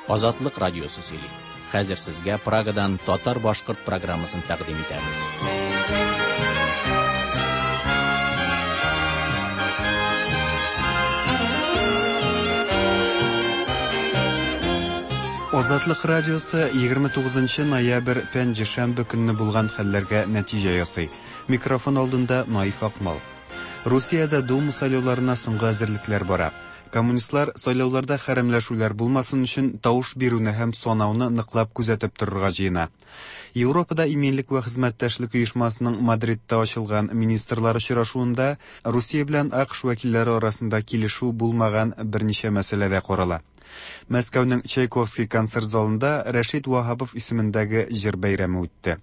Азатлык радиосы сөйли. Хәзер сезгә Прагадан татар-башкорт программасын тәкъдим итәбез. Азатлык радиосы 29 ноябрь пәнҗешәмбе көнне булган хәлләргә нәтиҗә ясый. Микрофон алдында Наиф Акмал. Русиядә Дума сайлауларына соңгы әзерлекләр бара. Коммунистлар сайлауларда хәрәмләшүләр булмасын өчен тавыш бирүне һәм санауны ныклап күзәтеп торырга җыена. Европада иминлек вә хезмәттәшлек оешмасының Мадридта ачылган министрлар очрашуында Русия белән АКШ вәкилләре арасында килешү булмаган берничә мәсьәлә дә карала. Мәскәүнең Чайковский концерт залында Рәшит Ваһапов исемендәге җыр бәйрәме үтте.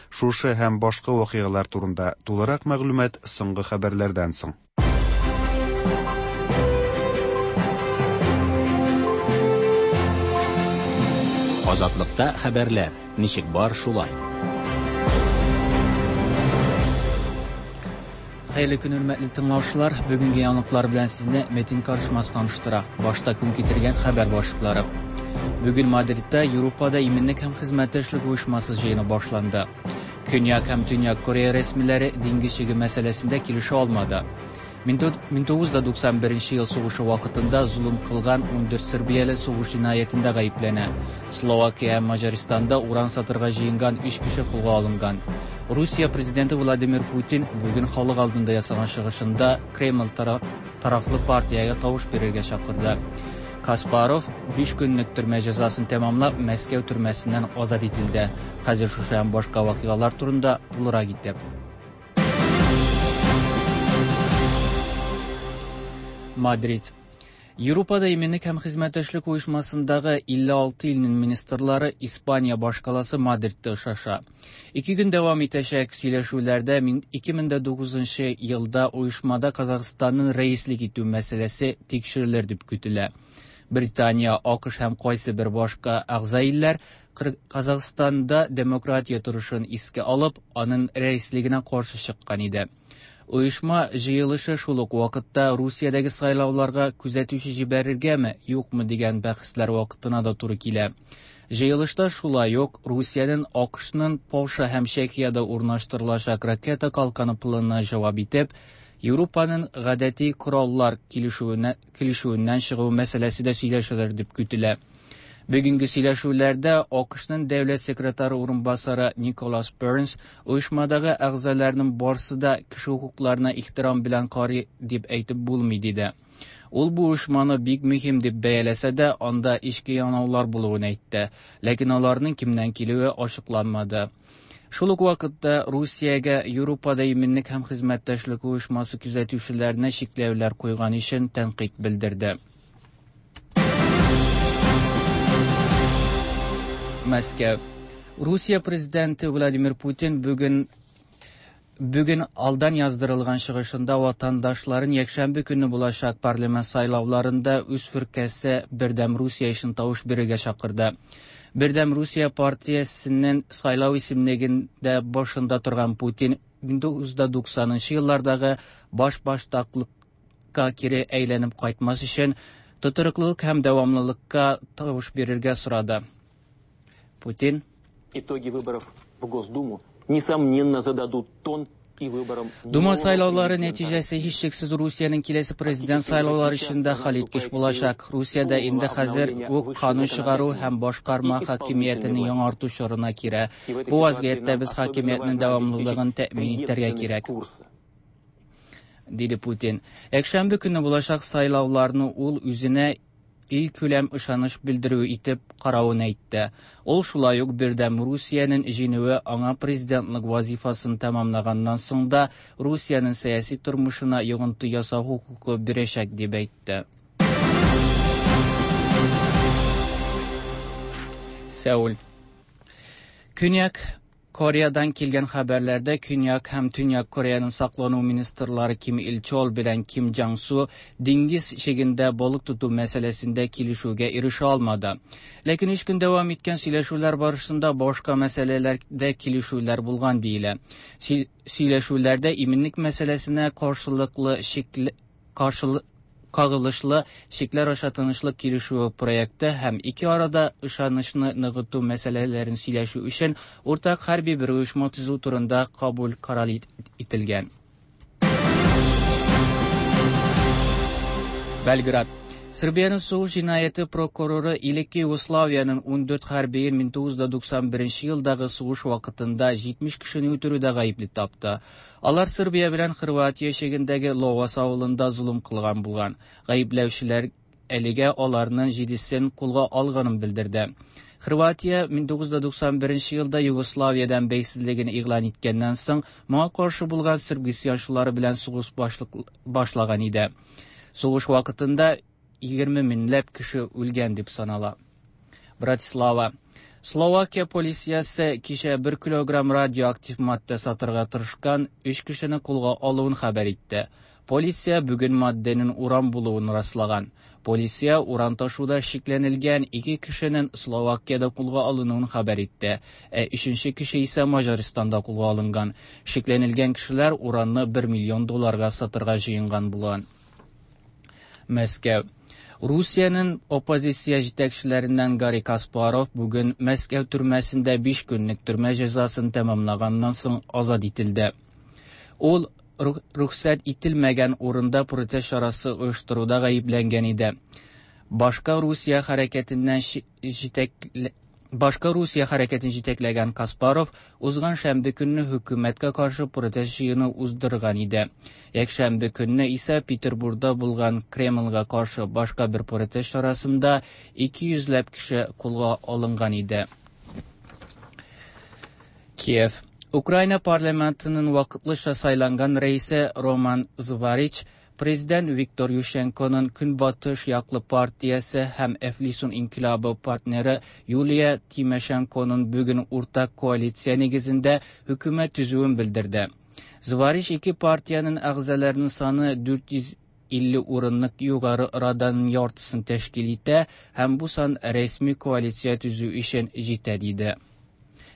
Шушы һәм башка вакыйгалар турында тулырак мәгълүмат соңгы хәбәрләрдән соң. Азатлыкта хәбәрләр ничек бар шулай. Хәерле көн, хөрмәтле тыңлаучылар. Бүгенге яңалыклар белән сезне Метин Карышмас таныштыра. Башта көн китергән хәбәр башлыклары. Бүген Мадридта Европада иминлек һәм хезмәттәшлек оешмасы җыены башланды. Көньяк һәм Төньяк Корея рәсмиләре диңгез чиге мәсьәләсендә килешә алмады. 1991 ел сугышы вакытында золым кылган 14 сербияле сугыш җинаятендә гаепләнә. Словакия һәм Маҗаристанда уран сатырга җыенган 3 кеше кулга алынган. Русия президенты Владимир Путин бүген халык алдында ясаган чыгышында Кремль тарафлы партиягә тавыш бирергә чакырды. Каспаров 5 көнлек төрмә җәзасын тәмамлап, Мәскәү төрмәсеннән азат ителде. Хәзер шушы һәм башка вакыйгалар турында тулырак итеп. Мадрид. Европада иминлек һәм хезмәттәшлек оешмасындагы 56 илнең министрлары Испания башкаласы Мадридта очраша. Ике көн дәвам итәчәк сөйләшүләрдә 2009 елда оешмада Казахстанның рәислек итү мәсьәләсе тикшерелер дип көтелә. Британия, АКШ һәм кайсы бер башка әгъза илләр Казахстанда демократия торышын искә алып, аның рәислегенә каршы чыккан иде. Оешма җыелышы шул ук вакытта Русиядәге сайлауларга күзәтүче җибәрергәме, юкмы дигән бәхәсләр вакытына да туры килә. Җыелышта шулай ук Русиянең АКШның Польша һәм Чехиядә урнаштырылачак ракета калканы планына җавап итеп, Европаның гадәти кораллар килешүеннән чыгу мәсьәләсе дә сөйләшелер дип көтелә. Бүгенге сөйләшүләрдә АКШның дәүләт секретаре урынбасары Николас Бернс оешмадагы әгъзаларның барсы да кеше хокукларына ихтирам белән карый дип әйтеп булмый диде. Ул бу оешманы бик мөһим дип бәяләсә дә, анда эчке янаулар булуын әйтте, ләкин аларның кемнән килүе ачыкланмады. Шул ук вакытта Русиягә Европада иминлек һәм хезмәттәшлек оешмасы күзәтүчеләренә чикләүләр куйган өчен тәнкыйть белдерде. Мәскәү. Русия президенты Владимир Путин бүген алдан яздырылган чыгышында ватандашларын якшәмбе көнне булачак парламент сайлауларында үз фиркәсе Бердәм Русия өчен тавыш бирергә чакырды. Бердәм Русия партиясенең сайлау исемлегендә башында торган Путин 1990 еллардагы башбаштаклыкка кире әйләнеп кайтмас өчен тотрыклылык һәм дәвамлылыкка тавыш бирергә сорады. Путин. Итоги выборов в Госдуму несомненно зададут тон и выборам Дума сайлаулары нәтиҗәсе һичшиксез Русиянең киләсе президент сайлаулары өчен дә хәлиткеч булачак. Русиядә инде хәзер үк канун чыгару һәм башкарма хакимиятен яңарту чорына кирә. Бу вазгыятьтә без хакимиятнең дәвамлылыгын тәэмин итәргә кирәк, диде Путин. Якшәмбе көнне булачак сайлауларны ул үзенә илкүләм ышаныч белдерү итеп каравын әйтте. Ул шулай ук Бердәм Русиянең җиңүе аңа президентлык вазифасын тәмамлаганнан соң да Русиянең сәяси тормышына йогынты ясау хокукы бирәчәк дип әйтте. Сеул. Көньяк Кореядан килгән хәбәрләрдә Көньяк һәм Төньяк Кореяның саклану министрлары Ким Ил Чол белән Ким Джан Су диңгез чигендә балык тоту мәсьәләсендә килешүгә ирешә алмады. Ләкин өч көн дәвам иткән сөйләшүләр барышында башка мәсьәләләрдә килешүләр булган диелә. Сөйләшүләрдә иминлек мәсьәләсенә каршылыклы кагылышлы чикләр аша тынычлык килешүе проекты һәм ике арада ышанычны ныгыту мәсьәләләрен сөйләшү өчен уртак хәрби бер оешма төзү турында кабул карар ителгән. Белград. Sırbiyanın сугыш җинаяте прокуроры элекке Югославиянең 14 хәрбиен 1991 елдагы сугыш вакытында 70 кешене үтерүдә гаепле тапты. Алар Сырбия белән Хорватия чигендәге Ловас авылында золым кылган булган. Гаепләүчеләр әлегә аларның җидесен кулга алганын белдерде. Хорватия 1991 елда Югославиядән бәйсезлеген игълан иткәннән соң, моңа каршы булган сырб гыйсъянчылары белән сугыш башлаган иде. Сугыш вакытында 20 меңләп кеше үлгән дип санала. Братислава. Словакия полициясе кичә 1 килограмм радиоактив матдә сатырга тырышкан 3 кешене кулга алуын хәбәр итте. Полиция бүген матдәнең уран булуын раслаган. Полиция уран ташуда шикләнелгән 2 кешенең Словакиядә кулга алынуын хәбәр итте. Ә өченче кеше исә Маҗарстанда кулга алынган. Шикләнелгән кешеләр уранны 1 миллион долларга сатырга җыенган булган. Мәскәү. Русиянең оппозиция җитәкчеләреннән Гарри Каспаров бүген Мәскәү төрмәсендә 5 көнлек төрмә җәзасын тәмамлаганнан соң азат ителде. Ул рөхсәт ителмәгән урында протест чарасы оештыруда гаепләнгән иде. Башка Русия хәрәкәтеннән Башка Русия хәрәкәтен җитәкләгән Каспаров узган шәмбе көнне хөкүмәткә каршы протест җыены уздырган иде. Якшәмбе көнне исә Петербургда булган Кремльгә каршы башка бер протест чарасында 200 ләп кеше кулга алынган иде. Киев. Украина парламентының вакытлыча сайланган рәисе Роман Зварич Президент Виктор Ющенконың Көнбатыш яклы партиясе һәм Әфлисун инкыйлабы партнеры Юлия Тимошенконың бүген уртак коалиция нигезендә хөкүмәт төзүен белдерде. Зварич ике партиянең әгъзаларының саны 450 урынлык югары раданың яртысын тәшкил итә һәм бу сан рәсми коалиция төзү өчен җитә диде.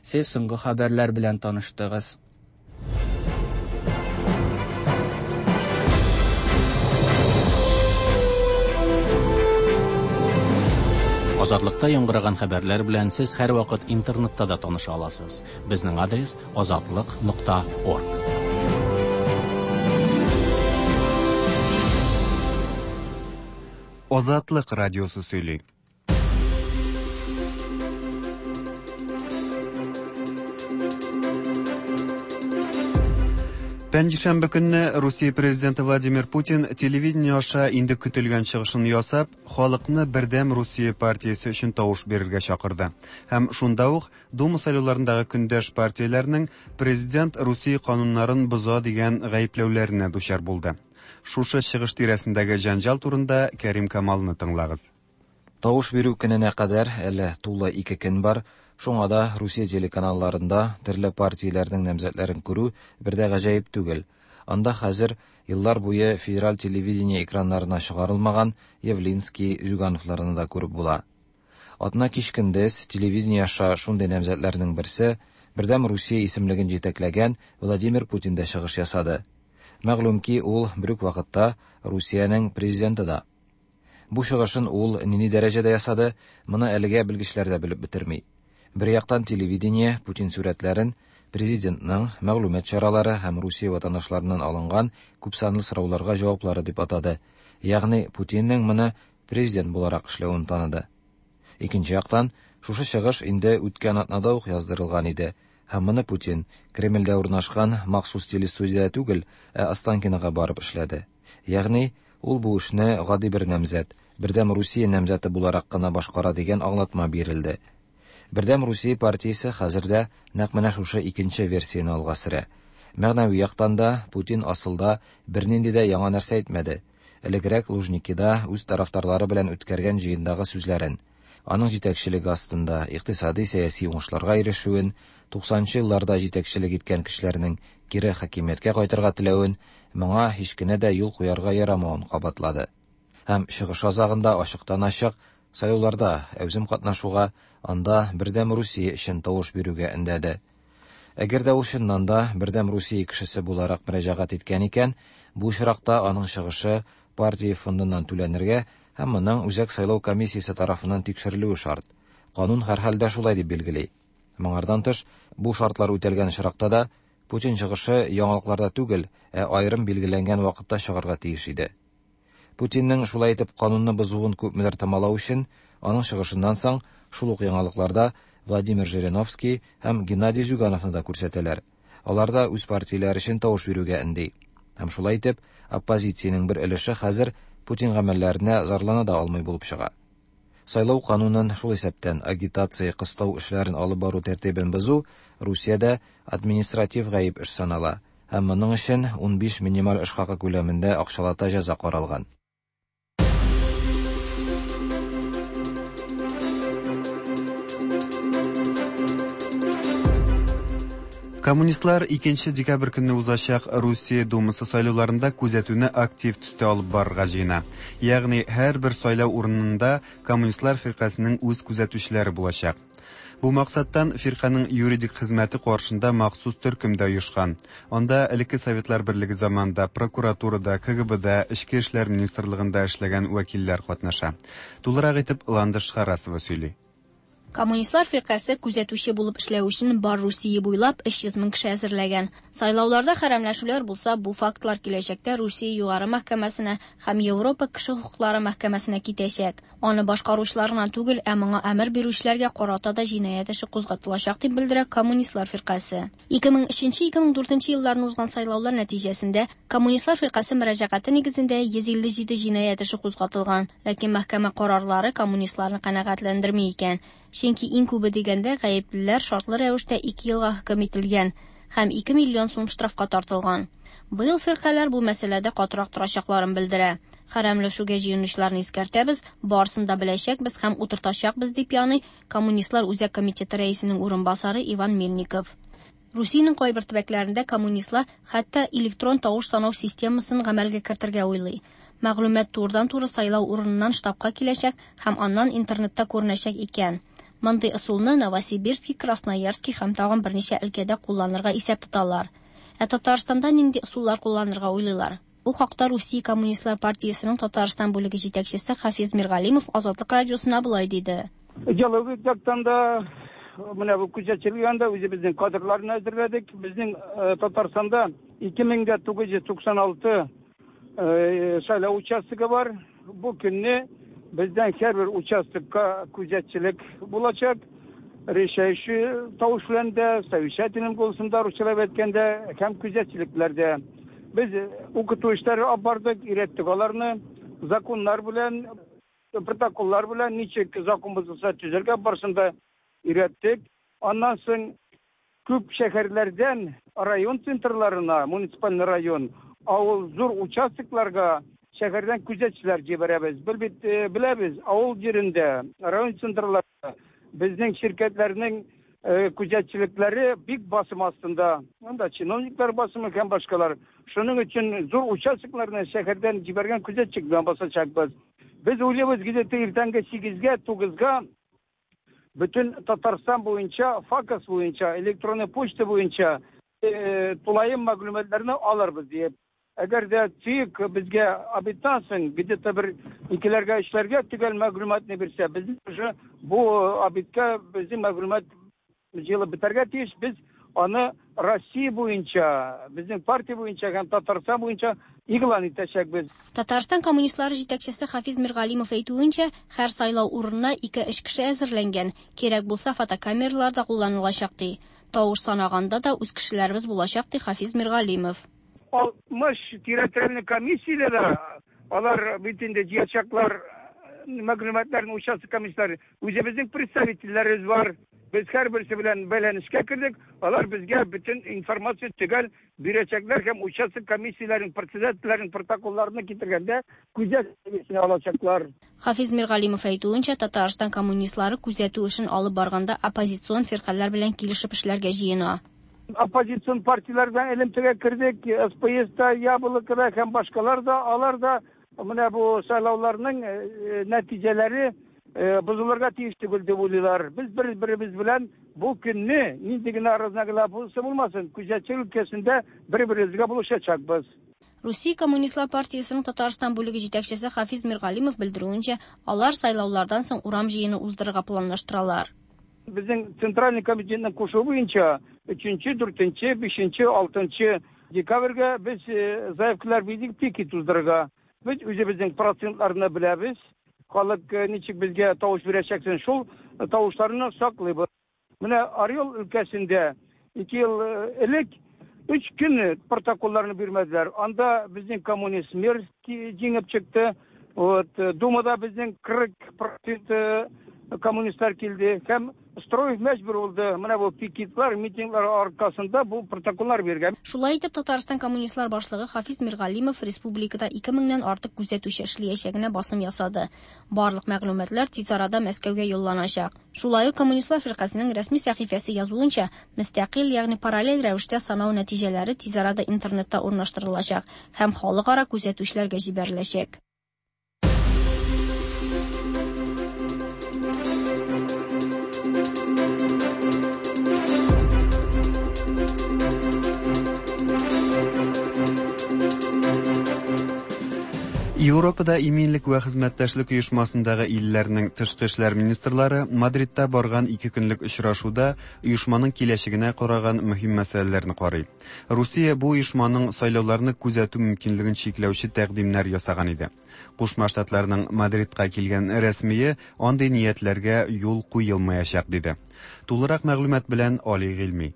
Сез соңгы хәбәрләр белән таныштыгыз. Азатлыкта яңгыраган хәбәрләр белән сез һәрвакыт интернетта да таныша аласыз. Безнең адрес azatliq.org. Азатлык радиосы сөйли. Пәнҗешәмбе көнне Русия президенты Владимир Путин телевидение аша инде көтелгән чыгышын ясап, халыкны Бердәм Русия партиясе өчен тавыш бирергә чакырды. Һәм шунда ук Дума сайлауларындагы көндәш партияләрнең президент Русия кануннарын боза дигән гаепләүләренә дучар булды. Шушы чыгыш тирәсендәге җәнҗал турында Кәрим Камалны тыңлагыз. Тавыш бирү көненә кадәр әле тулы 2 көн бар. Шуңа да Русия телеканалларында төрле партияләрнең намзәтләрен күрү бер дә гаҗәеп түгел. Анда хәзер еллар буе федераль телевидение экраннарына чыгарылмаган Явлинский, Зюгановларны да күреп була. Атна кич көндез телевидение аша шундый намзәтләрнең берсе Бердәм Русия исемлеген җитәкләгән Владимир Путин дә чыгыш ясады. Мәгълүм ки, ул бер үк вакытта Русиянең президенты да. Бу чыгышын ул нинди дәрәҗәдә ясады, моны әлегә белгечләр дә белеп бетерми. Бер яктан телевидение Путин сурәтләрен президентның мәгълүмат чаралары һәм Русия ватандашларыннан алынган күпсанлы сорауларга җаваплары дип атады. Ягъни Путинның моны президент буларак эшләвен таныды. Икенче яктан, шушы чыгыш инде үткән атнада ук яздырылган иде. Һәм моны Путин Кремльдә урнашкан махсус телестудиядә түгел, ә Останкинога барып эшләде. Ягъни ул бу эшне гади бер намзәт, Бердәм Русия намзәте буларак кына башкара дигән аңлатма бирелде. Бердәм Русия партиясе хәзердә нәкъ менә шушы икенче версияне алга сөрә. Мәгънәви яктан да Путин асылда бернинди дә яңа нәрсә әйтмәде. Элегрәк Лужникида үз тарафдарлары белән үткәргән җыендагы сүзләрен, аның җитәкчелеге астында икътисади сәяси уңышларга ирешүен, 90 елларда җитәкчелек иткән кешеләрнең кире хакимияткә кайтырга теләвен, моңа һич кенә дә юл куярга ярамавын кабатлады. Һәм чыгыш азагында ачыктан-ачык сайлауларда әүзем катнашуга, анда Бердәм Русия өчен тавыш бирүгә өндәде. Әгәр дә ул чыннан да Бердәм Русия кешесе буларак мөрәҗәгать иткән икән, бу очракта аның чыгышы партия фондыннан түләнергә һәм моның Үзәк сайлау комиссиясе тарафыннан тикшерелүе шарт. Канун һәрхәлдә шулай дип билгели. Моңардан тыш, бу шартлар үтәлгән очракта да, Путин чыгышы яңалыкларда түгел, ә аерым билгеләнгән вакытта чыгарга тиеш иде. Путинның шулай итеп канунны бозуын күпмедер томалау өчен, аның чыгышыннан соң шул ук яңалыкларда Владимир Жириновский һәм Геннадий Зюгановны да күрсәтәләр. Алар да үз партияләре өчен тавыш бирүгә өнди. Һәм шулай итеп, оппозициянең бер өлеше хәзер Путин гамәлләренә зарлана да алмый булып чыга. Сайлау канунын, шул исәптән агитация, кыстау эшләрен алып бару тәртибен бозу Русиядә административ гаеп эш санала һәм моның өчен 15 минималь эш хакы күләмендә акчалата җәза каралган. Коммунистлар 2 декабрь көнне узачак Русия Думасы сайлауларында күзәтүне актив төстә алып барырга җыена. Ягъни һәрбер сайлау урынында коммунистлар фиркасының үз күзәтүчеләре булачак. Бу максаттан фирканың юридик хезмәте каршында махсус төркем дә оешкан. Анда элекке Советлар Берлеге заманында прокуратурада, КГБда, Эчке эшләр министрлыгында эшләгән вәкилләр катнаша. Тулырак итеп Ландыш Харасова сөйли. Коммунистлар фиркасе күзәтүче булып эшләү өчен бар Русия буйлап 300 мең кеше әзерләгән. Сайлауларда хәрәмләшүләр булса, бу фактлар киләчәктә Русия Югары мәхкәмәсенә һәм Европа кеше хокуклары мәхкәмәсенә китәчәк. Аны башкаручылар гына түгел, ә моңа әмер бирүчеләргә карата да җинаять эше кузгатылачак дип белдерә Коммунистлар фиркасе. 2003-2004 елларны узган сайлаулар нәтиҗәсендә Коммунистлар фиркасе мөрәҗәгате нигезендә 157 җинаять эше кузгатылган, ләкин мәхкәмә карарлары коммунистларны канәгатьләндерми икән. Чөнки иң күбе дигәндә гаеплеләр шартлы рәвештә 2 елга хөкем ителгән һәм 2 миллион сум штрафка тартылган. Быел фиркаләр бу мәсьәләдә катырак торачакларын белдерә. Хәрәмләшүгә җыенучыларны искәртәбез, барысын да беләчәкбез һәм утыртачакбыз дип яный Коммунистлар Үзәк комитеты рәисенең урынбасары Иван Мельников. Русиянең кайбер төбәкләрендә коммунистлар хәтта электрон тавыш санау системасын гамәлгә кертергә уйлый. Мәгълүмат турыдан-туры сайлау урыныннан штабка киләчәк һәм аннан интернетта күренәчәк икән. Мондый ысулны Новосибирский, Красноярский һәм тагын берничә өлкәдә кулланырга исәп тоталар. Ә Татарстанда нинди ысуллар кулланырга уйлыйлар? Бу хакта Русия Коммунистлар партиясенең Татарстан бүлеге җитәкчесе Хафиз Миргалимов Азатлык радиосына болай диде. Идеологик яктан да менә бу күзәтчелек дә үзебезнең кадрларны әзерләдек. Безнең Татарстанда 2996 сайлау участогы бар. Бу көнне бездән һәрбер участокка күзәтчелек булачак. Решающий тавыш белән дә, совещательным голосом да русчалап әйткәндә һәм күзәтчелекләрдә. Без укыту эшләре алып бардык, өйрәттек аларны законнар белән, протоколлар белән ничек закон бозылса төзергә барысын да өйрәттек. Аннан соң күп шәһәрләрдән район центрларына, муниципаль район, авыл зур участокларга шәһәрдән күзәтчеләр җибәрәбез. Бел бит беләбез, авыл җирендә, район центрларында безнең ширкәтләрнең күзәтчелекләре бик басым астында. Анда чиновниклар басымы һәм башкалар. Шуның өчен зур участокларны шәһәрдән җибәргән күзәтчелек белән басачакбыз. Без уйлыйбыз, где-то иртәнге 8-гә, 9-га бөтен Татарстан буенча, ФАКС буенча, электронный почта буенча тулаем мәгълүматларны алырбыз диеп. Әгәр дә ЦИК безгә обедтан соң где-то бер икеләргә, өчләргә төгәл мәгълүматны бирсә, без уже бу обедка безнең мәгълүмат җыелып бетәргә тиеш. Без аны Россия буенча, безнең партия буенча һәм Татарстан буенча игълан итәчәкбез. Татарстан коммунистлары җитәкчесе Хафиз Миргалимов әйтүенчә, һәр сайлау урынына 2-3 кеше әзерләнгән. Кирәк булса, фотокамералар да кулланылачак ди. Тавыш санаганда да үз кешеләребез булачак ди Хафиз Миргалимов. 60 территориальный комиссияләре, алар бит инде җыячаклар мәгълүматларын участок комиссияләре. Үзебезнең представительләребез бар. Без һәрберсе белән бәйләнешкә кердек. Алар безгә бөтен информация төгәл бирәчәкләр һәм участок комиссияләренең председательләренең протоколларны китергәндә күзәтү алачаклар. Хафиз Миргалимов әйтүенчә, Татарстан коммунистлары күзәтү эшен алып барганда оппозицион фиркаләр белән килешеп эшләргә җыена. Оппозицион партияләр белән элемтәгә кердек, СПС та, Яблоко да һәм башкалар да, алар да менә бу сайлауларның нәтиҗәләре бозылырга тиеш түгел дип уйлыйлар. Без бер-беребез белән бу көнне нинди генә разногласие булмасын, күзәтчелек өлкәсендә бер-беребезгә булышачакбыз. Русия Коммунистлар партиясенең Татарстан бүлеге җитәкчесе Хафиз Миргалимов белдерүенчә, алар сайлаулардан соң урам җыены уздырырга планлаштыралар. Безнең Центральный комитетның кушуы буенча 3, 4, 5, 6 декабрьгә без заявкалар бирдек пикет уздырырга. Без үзебезнең процентларны беләбез. Халык ничек безгә тавыш бирәчәксен, шул тавышларны саклыйбыз. Менә Орел өлкәсендә 2 ел элек 3 көн протоколларны бирмәделәр. Анда безнең коммунист мэр җиңеп чыкты. Вот, Думада безнең 40% коммунистлар килде. Һәм Строев мәҗбүр булды. Менә бу пикетлар, митинглар аркасында бу протоколлар биргән. Шулай итеп, Татарстан коммунистлар башлыгы Хафиз Миргалимов республикада 2000-нән артык күзәтүче эшләячәгенә басым ясады. Барлык мәгълүматлар тиз арада Мәскәүгә юлланачак. Шулай ук Коммунистлар фиркасының рәсми сәхифәсе язуынча, мөстәкыйль, ягъни параллель рәвештә санау нәтиҗәләре тиз арада интернетта урнаштырылачак һәм халыкара күзәтүчеләргә җибәреләчәк. Европада иминлек вә хезмәттәшлек оешмасындагы илләрнең тышкы эшләр министрлары Мадридта барган ике көнлек очрашуда оешманың киләчәгенә караган мөһим мәсьәләләрне карый. Русия бу оешманың сайлауларны күзәтү мөмкинлеген чикләүче тәкъдимнәр ясаган иде. Кушма Штатларның Мадридка килгән рәсмие андый ниятләргә юл куелмаячак диде. Тулырак мәгълүмат белән Али Гыйльми.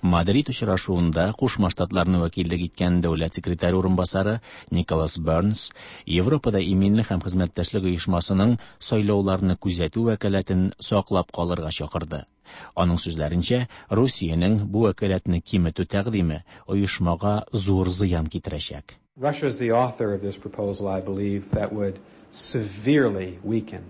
Мадрид очрашуында Кушма Штатларны вәкиллек иткән дәүләт секретаре урынбасары Николас Бернс Европада иминлек һәм хезмәттәшлек оешмасының сайлауларны күзәтү вәкаләтен саклап калырга чакырды. Аның сүзләренчә, Русиянең бу вәкаләтне киметү тәкъдиме оешмага зур зыян китерәчәк. Russia is the author of this proposal, I believe, that would severely weaken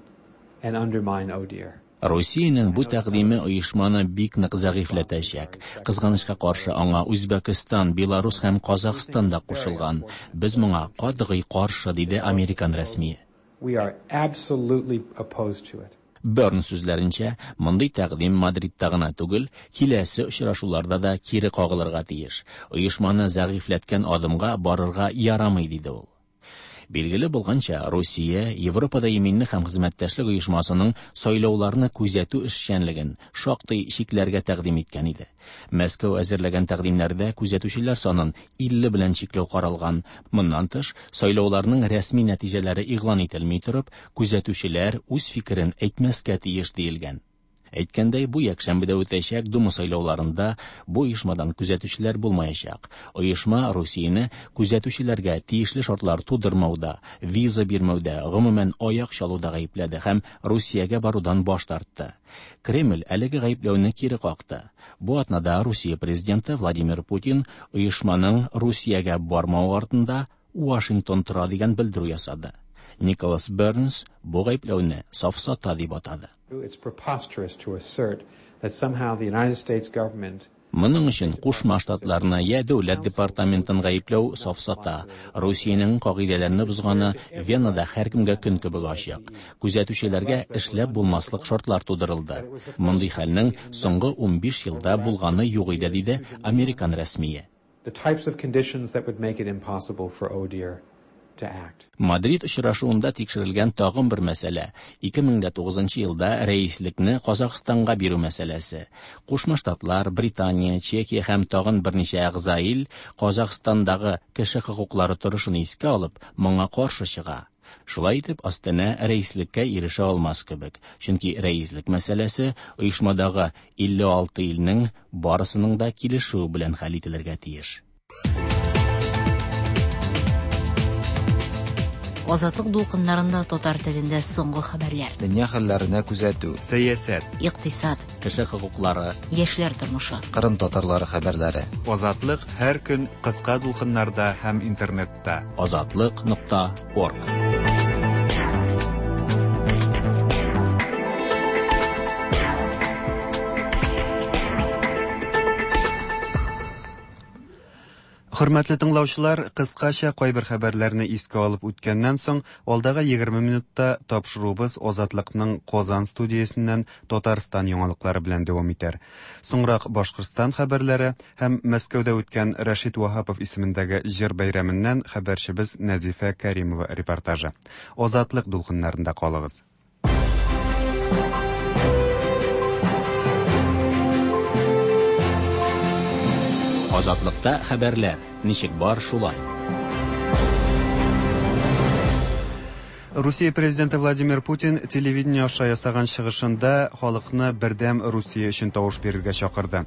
and undermine ODIHR. Русиянең бу тәкъдиме оешманы бик нык зәгыйфьләтәчәк. Кызганычка каршы, аңа Үзбәкстан, Беларус һәм Казахстан да кушылган. Без моңа катгый каршы, диде американ рәсмие. We are absolutely opposed to it. Берн сүзләренчә, мондый тәкъдим Мадридта гына түгел, киләсе очрашуларда да кире кагылырга тиеш. Оешманы зәгыйфьләткән адымга барырга ярамый, диде ул. Билгеле булганча, Русия Европада иминлек һәм хезмәттәшлек оешмасының сайлауларны күзәтү эшчәнлеген шактый чикләргә тәкъдим иткән иде. Мәскәү әзерләгән тәкъдимнәрдә күзәтүчеләр санын 50 белән чикләү каралган. Моннан тыш, сайлауларның рәсми нәтиҗәләре игълан ителми торып, күзәтүчеләр үз фикерен әйтмәскә тиеш диелгән. Әйткәндәй, бу якшәмбедә үтәчәк Дума сайлауларында бу оешмадан күзәтүчеләр булмаячак. Оешма Русияне күзәтүчеләргә тиешле шартлар тудырмауда, виза бирмәүдә, гомумән аяк чалуда гаепләде һәм Русиягә барудан баш тартты. Кремль әлеге гаепләүне кире какты. Бу атнада Русия президенты Владимир Путин оешманың Русиягә бармавы артында Вашингтон тора дигән белдерү ясады. Николас Бернс бу гаепләүне сафсата дип атады. It's preposterous to assert that somehow the United States government Моның өчен Кушма Штатларны я дәүләт департаментын гаепләү сафсата. Русиянең кагыйдәләрне бозганы Венада һәркемгә көн кебек ачык. Күзәтүчеләргә эшләп булмаслык шартлар тудырылды. Мондый хәлнең соңгы 15 елда булганы юк иде, диде американ рәсмие. the types of conditions that would make it impossible for ODIHR to act. Мадрид очрашуында тикшерелгән тагын бер мәсьәлә 2009 елда рәислекне Казахстанга бирү мәсьәләсе. Кушма Штатлар, Британия, Чехия һәм тагын берничә әгъза ил Казахстандагы кеше хокуклары торышын искә алып, моңа каршы чыга. Шулай итеп, Астана рәислеккә ирешә алмас кебек, чөнки рәислек мәсьәләсе оешмадагы 56 илнең барысының да килешүе белән хәл ителергә тиеш. Азатлык дулкыннарында татар телендә соңгы хәбәрләр. Дөнья хәлләренә күзәтү. Сәясәт, Икътисад, Кеше хокуклары, яшьләр тормышы. Кырым татарлары хәбәрләре. Азатлык һәр көн кыска дулкыннарда һәм интернетта. Азатлык.орг. Хөрмәтле тыңлаучылар, кыскача кайбер хәбәрләрне искә алып үткәннән соң, алдагы 20 минутта тапшыруыбыз Азатлыкның Казан студиясеннән Татарстан яңалыклары белән дәвам итәр. Соңрак Башкортстан хәбәрләре һәм Мәскәүдә үткән Рәшит Ваһапов исемендәге җыр бәйрәменнән хәбәрчебез Нәзифә Кәримова репортажы. Азатлык дулкыннарында калыгыз. Азатлыкта хәбәрләр ничек бар шулай. Русия президенты Владимир Путин телевидение аша ясаган чыгышында халыкны бердәм Русия өчен тавыш бирергә чакырды.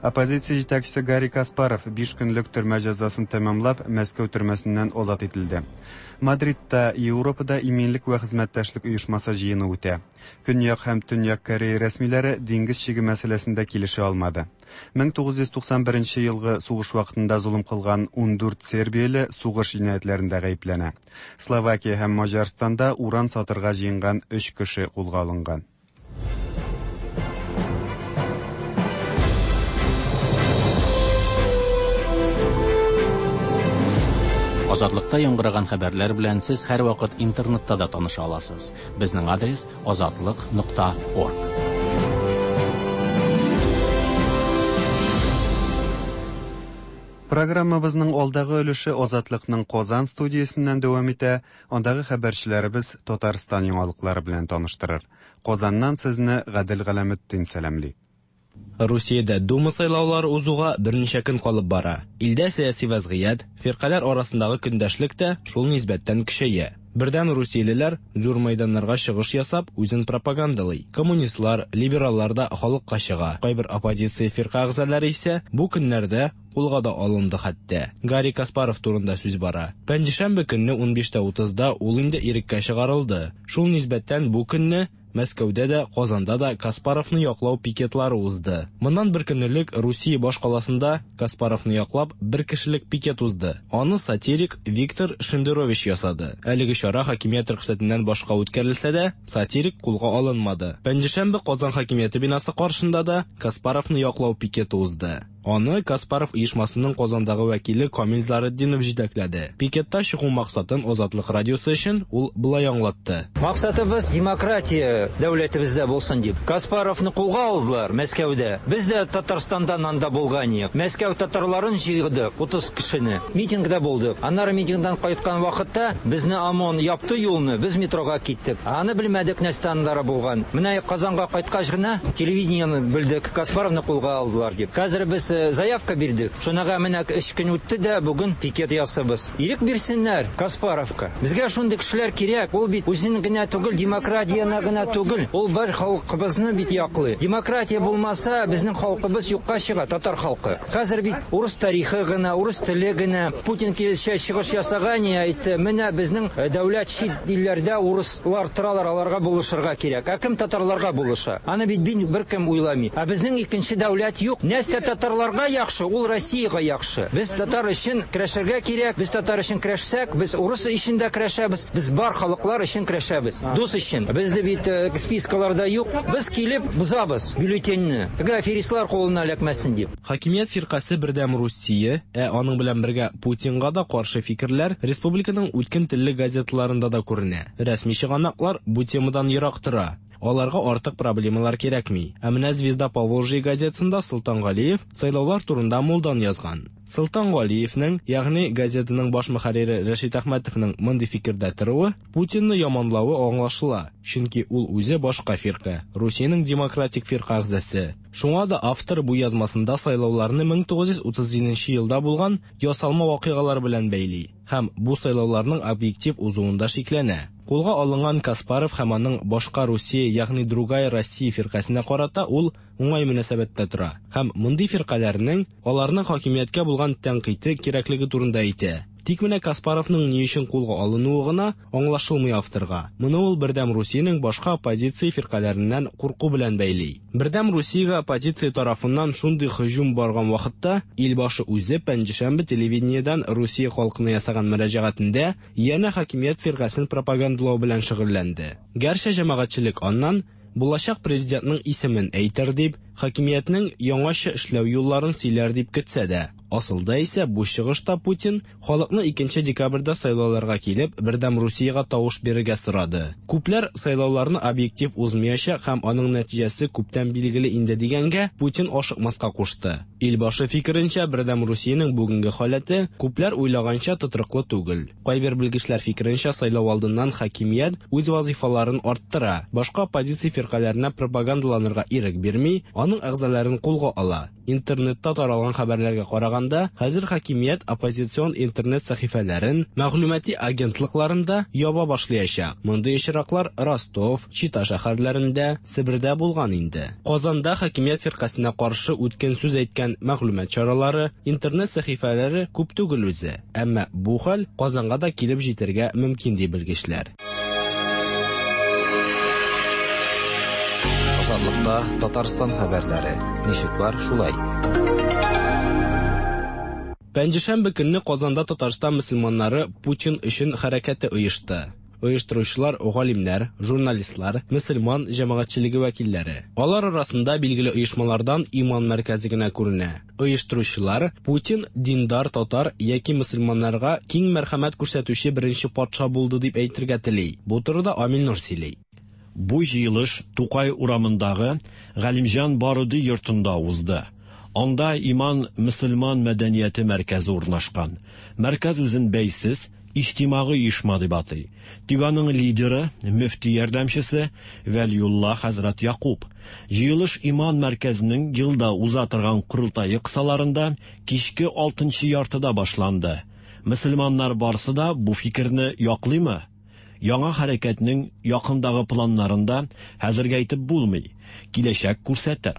Оппозиция җитәкчесе Гарри Каспаров 5 көнлек төрмә җәзасын тәмамлап, Мәскәү төрмәсеннән азат ителде. Мадридта Европада иминлек вә хезмәттәшлек оешмасы җыены үтә. Көньяк һәм Төньяк Корея рәсмиләре диңгез чиге мәсьәләсендә килешә алмады. 1991 елгы сугыш вакытында золым кылган 14 сербияле сугыш җинаятьләрендә гаепләнә. Словакия һәм Маҗарстанда уран сатырга җыенган 3 кеше кулга алынган. Азатлыкта яңгыраган хәбәрләр белән сез һәрвакыт интернетта да таныша аласыз. Безнең адрес azatlık.org. Программабызның алдагы өлеше Азатлыкның Казан студиясеннән дәвам итә. Андагы хәбәрчеләребез Татарстан яңалыклары белән таныштырыр. Казаннан сезне Гадел Галәметдин сәламли. Русиядә Дума сайлаулары узуга берничә көн калып бара. Илдә сәяси вәзгыять, фиркаләр арасындагы көндәшлек тә шул нисбәттән көчәя. Бердәм русиялеләр зур мәйданнарга чыгыш ясап, үзен пропагандалый. Коммунистлар, либераллар да халыкка чыга. Кайбер оппозиция фирка әгъзалары исә бу көннәрдә кулга да алынды хәтта. Гарри Каспаров турында сүз бара. Пәнҗешәмбе көнне 15:30да ул инде иреккә чыгарылды. Шул нисбәттән бу көнне Мәскәүдә дә, Казанда да Каспаровны яклау пикетлары узды. Моннан бер көн элек Русия баш каласында Каспаровны яклап бер кешелек пикет узды. Аны сатирик Виктор Шендерович ясады. Әлеге чара хакимият рөхсәтеннән башка үткәрелсә дә, сатирик кулга алынмады. Пәнҗешәмбе Казан хакимияте бинасы каршында да Каспаровны яклау пикеты узды. Аны Каспаров оешмасының Казандагы вәкиле Камил Заретдинов җитәкләде. Пикетта чыгу максатын Азатлык радиосы өчен ул болай аңлатты. Максатыбыз демократия дәүләтебездә булсын дип. Каспаровны кулга алдылар Мәскәүдә. Без дә Татарстандан анда булган идек. Мәскәү татарларын җыйдык, 30 кешене. Митингда булдык. Аннары митингдан кайткан вакытта безне ОМОН япты юлны, без метрога киттек. Аны белмәдек нәрсә аннары булган. Менә Казанга кайткач гына телевидениене белдек, Каспаровны кулга алдылар дип. Хәзер без заявка бирдек. Шунага менә 3 көн үтте дә, бүген пикет ясабыз. Ирек бирсеннәр Каспаровка. Безгә шундый кешеләр кирәк. Ул бит үзен генә түгел, демократияне генә түгел. Ул бар халкыбызны бит яклый. Демократия булмаса, безнең халкыбыз юкка чыга, татар халкы. Хәзер бит урыс тарихы гына, урыс теле генә. Путин килешә чыгыш ясаган, әйтте, менә безнең дәүләт чит илләрдә урыслар торалар, аларга булышырга кирәк. Ә кем татарларга булыша? Аны бит беркем уйламый. Ә безнең икенче дәүләт юк. Нәрсә татарларга яхшы, ул Россиягә яхшы. Без татар өчен көрәшергә кирәк. Без татар өчен көрәшсәк, без урыс өчен дә көрәшәбез. Без бар халыклар өчен көрәшәбез. Дус өчен. Бездә бит спискаларда юк. Без килеп бозабыз бюллетеньне. Теге аферистлар кулына эләкмәсен дип. Хакимият фиркасе Бердәм Русия, ә аның белән бергә Путинга да каршы фикерләр республиканың үткен телле газеталарында да күренә. Рәсми чыганаклар бу темадан ерак тора. Аларга артык проблемалар кирәкми. Ә менә Звезда Поволжья газетасында Солтан Галиев сайлаулар турында мулдан язган. Солтан Галиевнең, ягъни газетаның баш мөхәррире Рәшит Әхмәтовның мондый фикердә торуы Путинны яманлавы аңлашыла, чөнки ул үзе башка фирка, Русиянең демократик фирка әгъзасы. Шуңа да автор бу язмасында сайлауларны 1937 елда булган ясалма вакыйгалар белән бәйли һәм бу сайлауларның объектив узуында шикләнә. Кулга алынган Каспаров һәм аның башка Русия, ягъни Другая Россия фиркасына карата ул уңай мөнәсәбәттә тора һәм мондый фиркаләрнең аларның хакимияткә булган тәнкыйте кирәклеге турында әйтә. Тик менә Каспаровның ни өчен кулга алынуы гына аңлашылмый авторга. Моны ул Бердәм Русиянең башка оппозиция фиркаләреннән курку белән бәйли. Бердәм Русиягә оппозиция тарафыннан шундый һөҗүм барган вакытта илбашы үзе пәнҗешәмбе телевидениедән Русия халкына ясаган мөрәҗәгатендә янә хакимият фиркасен пропагандалау белән шөгыльләнде. Гәрчә җәмәгатьчелек аннан булачак президентның исемен әйтер дип, хакимиятнең яңача эшләү юлларын сөйләр дип көтсә дә, Асылда исә бу чыгышта Путин халыкны 2 декабрьдә сайлауларга килеп, Бердәм Русиягә тавыш бирергә сорады. Күпләр сайлауларны объектив узмаячак һәм аның нәтиҗәсе күптән билгеле инде дигәнгә, Путин ашыкмаска кушты. Илбашы фикеренчә, Бердәм Русиянең бүгенге халәте күпләр уйлаганча тотрыклы түгел. Кайбер белгечләр фикеренчә, сайлау алдыннан хакимият үз вазыйфаларын арттыра, башка оппозиция фиркаләренә пропагандаланырга ирек бирми, аның әгъзаларын кулга ала. Интернетта таралган хәбәрләргә караганда, хәзер хакимият оппозицион интернет сәхифәләрен, мәгълүмати агентлыкларын да яба башлаячак. Мондый очраклар Ростов, Чита шәһәрләрендә, Себердә булган инде. Казанда хакимият фиркасенә каршы үткен сүз әйткән мәгълүмат чаралары, интернет сәхифәләре күп түгел үзе. Әмма бу хәл Казанга да килеп җитәргә мөмкин ди белгечләр. Азатлыкта Татарстан хәбәрләре. Ничек бар, шулай. Пәнҗешәмбе көнне Казанда Татарстан мөселманнары Путин өчен хәрәкәте оешты. Оештыручылар галимнәр, журналистлар, мөселман җәмәгатьчелеге вәкилләре. Алар арасында билгеле оешмалардан Иман мәркәзе генә күренә. Оештыручылар Путин диндар татар яки мөселманнарга киң мәрхәмәт күрсәтүче беренче патша булды дип әйтергә тели. Бу турыда Амил Нур сөйли. Бу җыелыш Тукай урамындагы Галимҗан Баруди йортында узды. Анда Иман мөселман мәдәнияте мәркәзе урнашкан. Мәркәз үзен бәйсез, иҗтимагый оешма дип атый. Тик аның лидеры, мөфти ярдәмчесе Вәлиулла хәзрәт Якуб. Җыелыш Иман мәркәзенең елда уза торган корылтае кысаларында кичке алтынчы яртыда башланды. Мөселманнар барысы да бу фикерне яклыймы? Яңа хәрәкәтнең якындагы планнарын да хәзергә әйтеп булмый, киләчәк күрсәтер.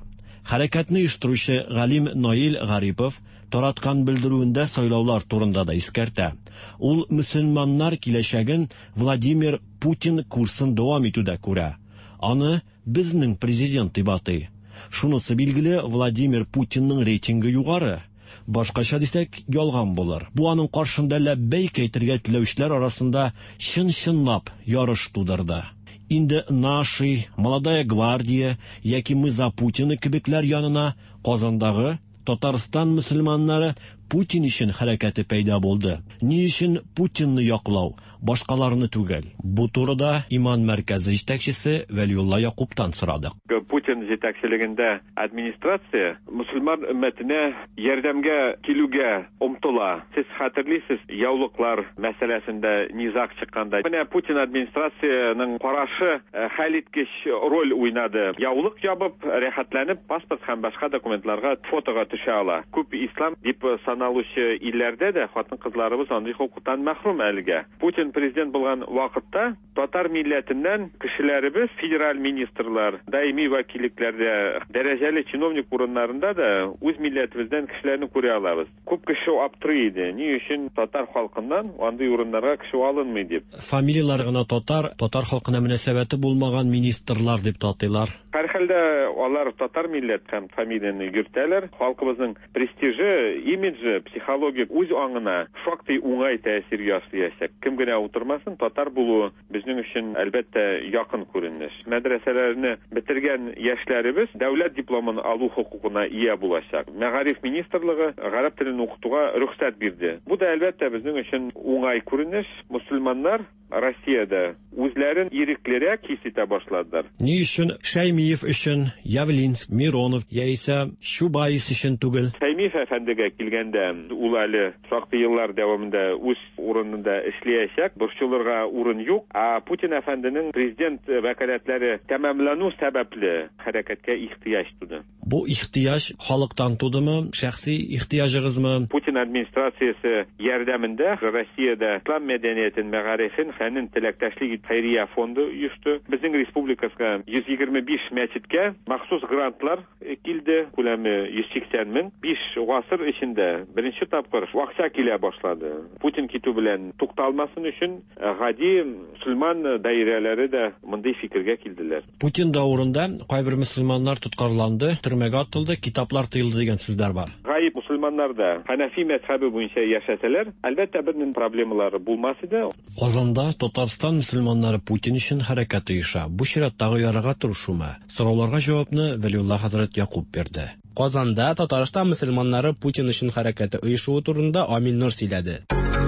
Хәрәкәтне оештыручы галим Наил Гарипов тараткан белдерүендә сайлаулар турында да искәртә. Ул мөселманнар киләчәген Владимир Путин курсын дәвам итүдә күрә. Аны безнең президент дип атый. Шунысы билгеле, Владимир Путинның рейтингы югары. Башкача дисәк, ялган булыр. Бу аның каршында ләббәйк әйтергә теләүчеләр арасында чын-чынлап ярыш тудырды. Инде Наши, Молодая гвардия яки Мы за Путина кебекләр янына Казандагы Татарстан мөселманнары Путин өчен хәрәкәте пәйда булды. Ни өчен Путинны яклау, башкаларны түгел? Бу турыда Иман мәркәзе җитәкчесе Вәлиулла Якубтан сорадык. Путин җитәкчелегендә администрация мөселман өммәтенә ярдәмгә килүгә омтыла. Сез хәтерлисез, яулыклар мәсьәләсендә низаг чыкканда. Менә Путин администрациянең карашы хәлиткеч роль уйнады. Яулык ябып, рәхәтләнеп паспорт һәм башка документларга фотога төшә ала. Күп ислам дип саналучы илләрдә дә хатын-кызларыбыз андый хокуктан мәхрүм әлегә. Путин президент булган вакытта татар милләтеннән кешеләребез федераль министрлар, даими вәкиллекләрдә, дәрәҗәле чиновник урыннарында да үз милләтебездән кешеләрне күрә алабыз. Күп кеше аптырый иде, ни өчен татар халкыннан андый урыннарга кеше алынмый дип. Фамилияләре генә татар, татар халкына мөнәсәбәте булмаган министрлар дип тә атыйлар. Һәрхәлдә алар татар милләт һәм фамилияне йөртәләр. Халкыбызның престижы, имиджы, психологик үз аңына шактый уңай тәэсир ясыячак. Кем генә утырмасын, татар булуы безнең өчен, әлбәттә, якын күренеш. Мәдрәсәләрне бетергән яшьләребез дәүләт дипломын алу хокукына ия булачак. Мәгариф министрлыгы гарәп телен укытуга рөхсәт бирде. Бу да, әлбәттә, безнең өчен уңай күренеш. Мөселманнар Россиядә үзләрен иреклерәк хис итә башладылар. Ни өчен Шәймиев өчен, Явлинск, Миронов яисә Чубайс өчен түгел? Шәймиев әфәндегә килгәндә, ул әле шактый еллар дәвамында үз урынында эшләячәк, борчылырга урын юк. Ә Путин әфәнденең президент вәкаләтләре тәмамлану сәбәпле хәрәкәткә ихтыяҗ туды. Бу ихтыяҗ халыктан тудымы, шәхси ихтыяҗыгызмы? Путин администрациясе ярдәмендә Россиядә ислам мәдәниятен, мәгарифен, фәнен теләктәшлек ит хәйрия фонды оешты. Безнең республикасына 125 мәчеткә махсус грантлар килде, күләме 180 мең. 5 гасыр эчендә беренче тапкыр акча килә башлады. Путин китү белән тукталмасын өчен гади мөселман даирәләре дә мондый фикергә килделәр. Путин дәверендә кайбер мөселманнар тоткарланды, төрмәгә атылды, китаплар тыелды дигән сүзләр бар. Гаеп мөселманнар да Ханафи мәзһәбе буенча яшәсәләр, әлбәттә, бернинди проблемалары булмас иде. Казанда Татарстан мөселманнары Путин өчен хәрәкәт оеша. Бу чираттагы ярага тырышумы? Сорауларга җавапны Вәлиулла хәзрәт Якуб бирде. Казанда Татарстан мөселманнары Путин өчен хәрәкәте оешуы турында Амил Нур сөйләде.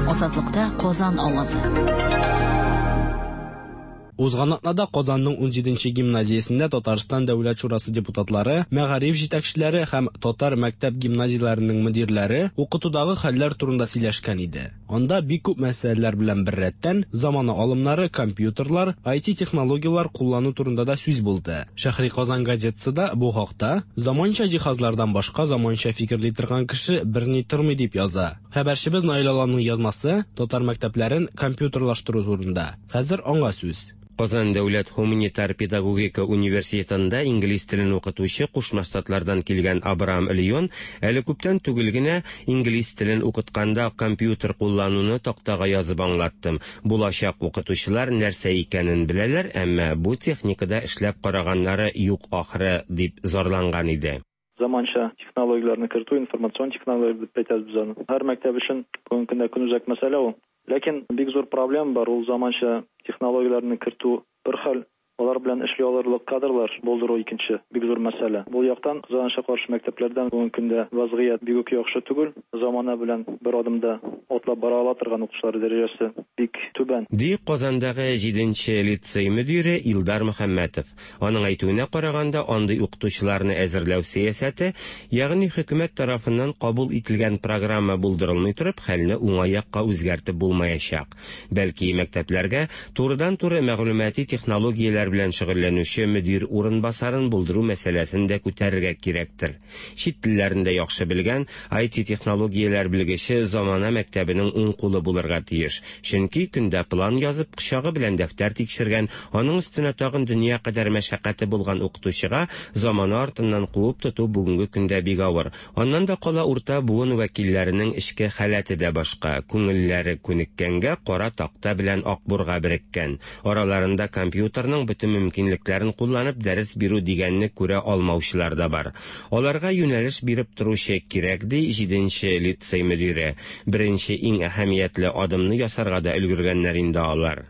Азатлыкта Казан авазы. Узган атнада Казанның 17 нче гимназиясендә Татарстан Дәүләт шурасы депутатлары, мәгариф җитәкчеләре һәм татар мәктәп-гимназияләренең мөдирләре укытудагы хәлләр турында сөйләшкән иде. Анда бик күп мәсьәләләр белән беррәттән, замана алымнары, компьютерлар, IT-технологияләр куллану турында да сүз булды. Шәһри Казан газетасы да бу хакта, Заманча җиһазлардан башка заманча фикерли торган кеше берни тормый дип яза. Хәбәрчебез Наил Аланның язмасы татар мәктәпләрен компьютерлаштыру турында. Хәзер аңа сүз. Казан дәүләт һуманитар педагогика университетында инглиз телен укытучы Кушма Штатлардан килгән Абрам Леон әле күптән түгел генә инглиз телен укытканда компьютер куллануны тактага язып аңлаттым. Булачак укытучылар нәрсә икәнен беләләр, әмма бу техникада эшләп караганнары юк ахры, дип зарланган иде. Заманча технологияләрне кертү, информацион технологияләр дип әйтәбез без аны. Һәр мәктәп өчен бүгенге көндә көнүзәк мәсьәлә ул. Ләкин бик зур проблема бар, ул заманча технологияләрне кертү бер хәл, алар белән эшли алырлык кадрлар булдыру икенче бик зур мәсьәлә. Бу яктан, кызганычка каршы, мәктәпләрдә бүгенге көндә вазгыять бик үк яхшы түгел. Замана белән бер адымда атлап бара ала торган укытучылар дәрәҗәсе бик түбән. Ди Казандагы җиденче лицей мөдире Илдар Мөхәммәтов. Аның әйтүенә караганда, андый укытучыларны әзерләү сәясәте, ягъни хөкүмәт тарафыннан кабул ителгән программа булдырылмый торып, хәлне уңай якка үзгәртеп булмаячак. Бәлки, мәктәпләргә турыдан-туры мәгълүмати технологияләр белән шөгыльләнүче мөдир урынбасарын булдыру мәсьәләсен дә күтәрергә кирәктер. Чит телләрен дә яхшы белгән IT-технологияләр белгече замана мәктәбенең уң кулы булырга тиеш. Чөнки көндә план язып, кочагы белән дәфтәр тикшергән, аның өстенә тагын дөнья кадәр мәшәкате булган укытучыга замана артыннан куып тоту бүгенге көндә бик авыр. Аннан да кала урта буын вәкилләренең эчке халәте дә башка, күңелләре күнеккәнгә кара такта белән акбурга береккән. Араларында компьютерның бөтен мөмкинлекләрен кулланып дәрес бирү дигәнне күрә алмаучылар да бар. Аларга юнәлеш биреп торучы кирәк, ди җиденче лицей мөдире. Беренче иң әһәмиятле адымны ясарга да өлгергәннәр инде алар.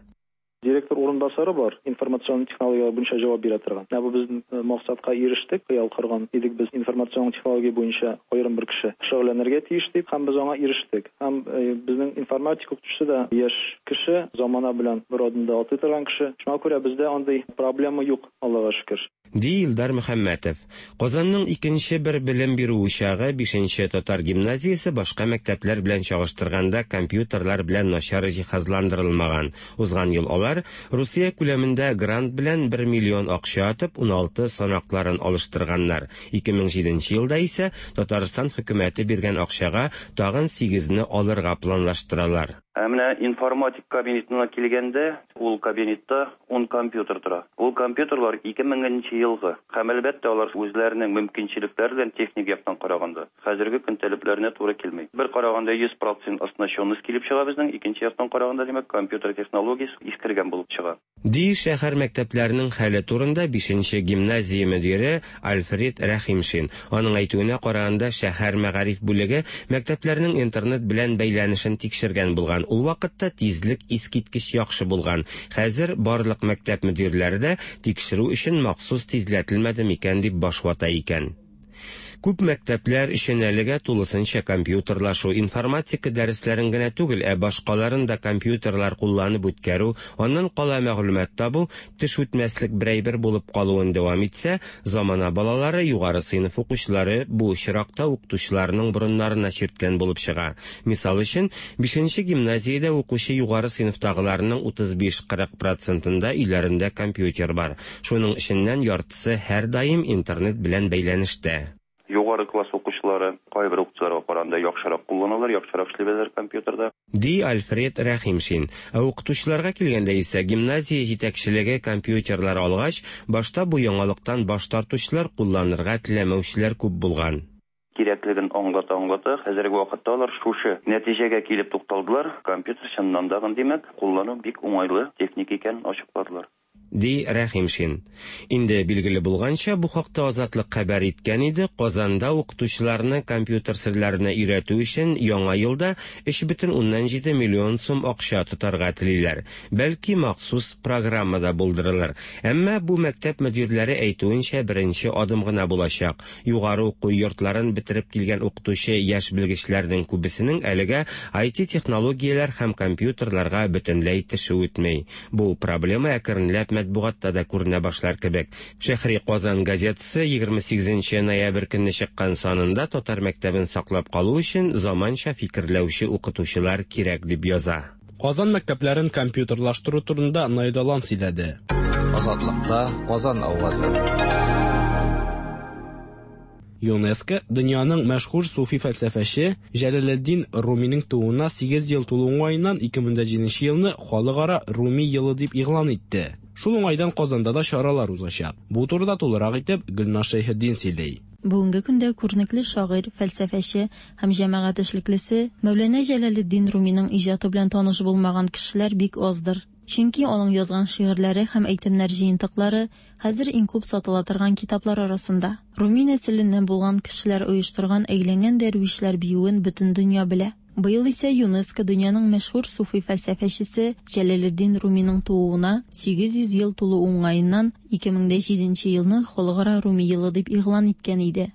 Директор урынбасары бар, информацион технологияләр буенча җавап бирә торган. Менә бу без максатка ирештек, хыял корган идек без информацион технология буенча аерым бер кеше шөгыльләнергә тиеш дип, һәм без аңа ирештек. Һәм безнең информатика укытучысы да яшь кеше, замана белән бер адымда атлый торган кеше. Шуңа күрә бездә андый проблема юк, Аллага шөкер. Ди Илдар Мөхәммәтов. Казанның икенче бер белем бирү учагы, бишенче татар гимназиясе башка мәктәпләр белән чагыштырганда компьютерлар белән начар җиһазландырылмаган. Узган ел алар Русия күләмендә грант белән бер миллион акча атып, 16 санакларын алыштырганнар. 2007 нче елда исә Татарстан хөкүмәте биргән акчага тагын сигезне алырга планлаштыралар. Ә менә информатик кабинетына килгәндә, ул кабинетта ун компьютер тора. Ул компьютерлар 2000 нче елгы. Һәм, әлбәттә, алар үзләренең мөмкинчелекләре белән техник яктан караганда, хәзерге көн таләпләренә туры килми. Бер караганда, 100 процент оснащенность килеп чыга безнең, икенче яктан караганда, димәк, компьютер технологиясе искергән булып чыга. Ди шәһәр мәктәпләренең хәле турында бишенче гимназия мөдире Альфред Рәхимшин. Аның әйтүенә караганда, шәһәр мәгариф бүлеге мәктәпләрнең интернет белән бәйләнешен тикшергән булган. Ул вакытта тизлек искиткеч яхшы булган. Хәзер барлык мәктәп мөдирләре дә тикшерү өчен махсус тизләтелмәде микән дип баш вата икән. Күп мәктәпләр өчен әлегә тулысынча компьютерлашу, информатика дәресләрен генә түгел, ә башкаларын да компьютерлар кулланып үткәрү, аннан кала мәгълүмат табу теш үтмәслек бер әйбер булып калуын дәвам итсә, замана балалары, югары сыйныф укучылары бу очракта укытучыларының борыннарына чирткән булып чыга. Мисал өчен, бишенче гимназиядә укучы югары сыйныфтагыларның 35-40 процентында өйләрендә компьютер бар. Шуның эченнән яртысы һәрдаим интернет белән бәйләнештә. Югары класс укучылары кайбер укытучыларга караганда яхшырак кулланалар, яхшырак эшли беләләр компьютерда. Ди Альфред Рәхимшин. Ә укытучыларга килгәндә исә, гимназия җитәкчелеге компьютерлар алгач, башта бу яңалыктан баш тартучылар, кулланырга теләмәүчеләр күп булган. Кирәклеген аңлата-аңлата, хәзерге вакытта алар шушы нәтиҗәгә килеп тукталдылар, компьютер чыннан да, димәк, куллану бик уңайлы техника икәнен ачыкладылар. ди Рәхимшин. Инде билгеле булганча, бу хакта Азатлык хәбәр иткән иде, Казанда укытучыларны компьютер серләренә өйрәтү өчен яңа елда 3,7 миллион сум акча тотарга телиләр. Бәлки махсус программа да булдырылыр. Әмма бу мәктәп мөдирләре әйтүенчә беренче адым гына булачак. Югары уку йортларын бетереп килгән укытучы яшь белгечләрнең күбесенең әлегә IT технологияләр һәм компьютерларга бөтенләй теше үтми. Бу проблема әкренләп матбугатта да күренә башлар кебек. Шәһри Казан газетасы 28 ноябрь көнне чыккан санында татар мәктәбен саклап калу өчен заманча фикерләүче укытучылар кирәк дип яза. Казан мәктәпләрен компьютерлаштыру турында Найдалан сөйләде. Азатлыкта Казан авазы. ЮНЕСКО дөньяның мәшһүр суфи фәлсәфәче Җәләлетдин Руминың тууына 8 ел тулу уңаеннан 2007 елны Халыкара Руми елы дип игълан итте. Шул уңайдан Казанда да чаралар узачак. Бу турыда тулырак итеп Гөлназ Шәйхетдин сөйли. Бүгенге көндә күренекле шагыйрь, фәлсәфәче һәм җәмәгать эшлеклесе Мәүләнә Җәләлетдин Руминың иҗаты белән таныш булмаган кешеләр бик аздыр. Чөнки аның язган шигырьләре һәм әйтемнәр җыентыклары хәзер иң күп сатыла торган китаплар арасында. Руми нәселеннән булган кешеләр оештырган әйләнгән дәрвишләр биюен бөтен дөнья белә. Быел исә ЮНЕСКО дөньяның мәшһүр суфи фәлсәфәчесе Җәләлетдин Руминың тууына 800 ел тулу уңаеннан 2007 елны Халыкара Руми елы дип игълан иткән иде.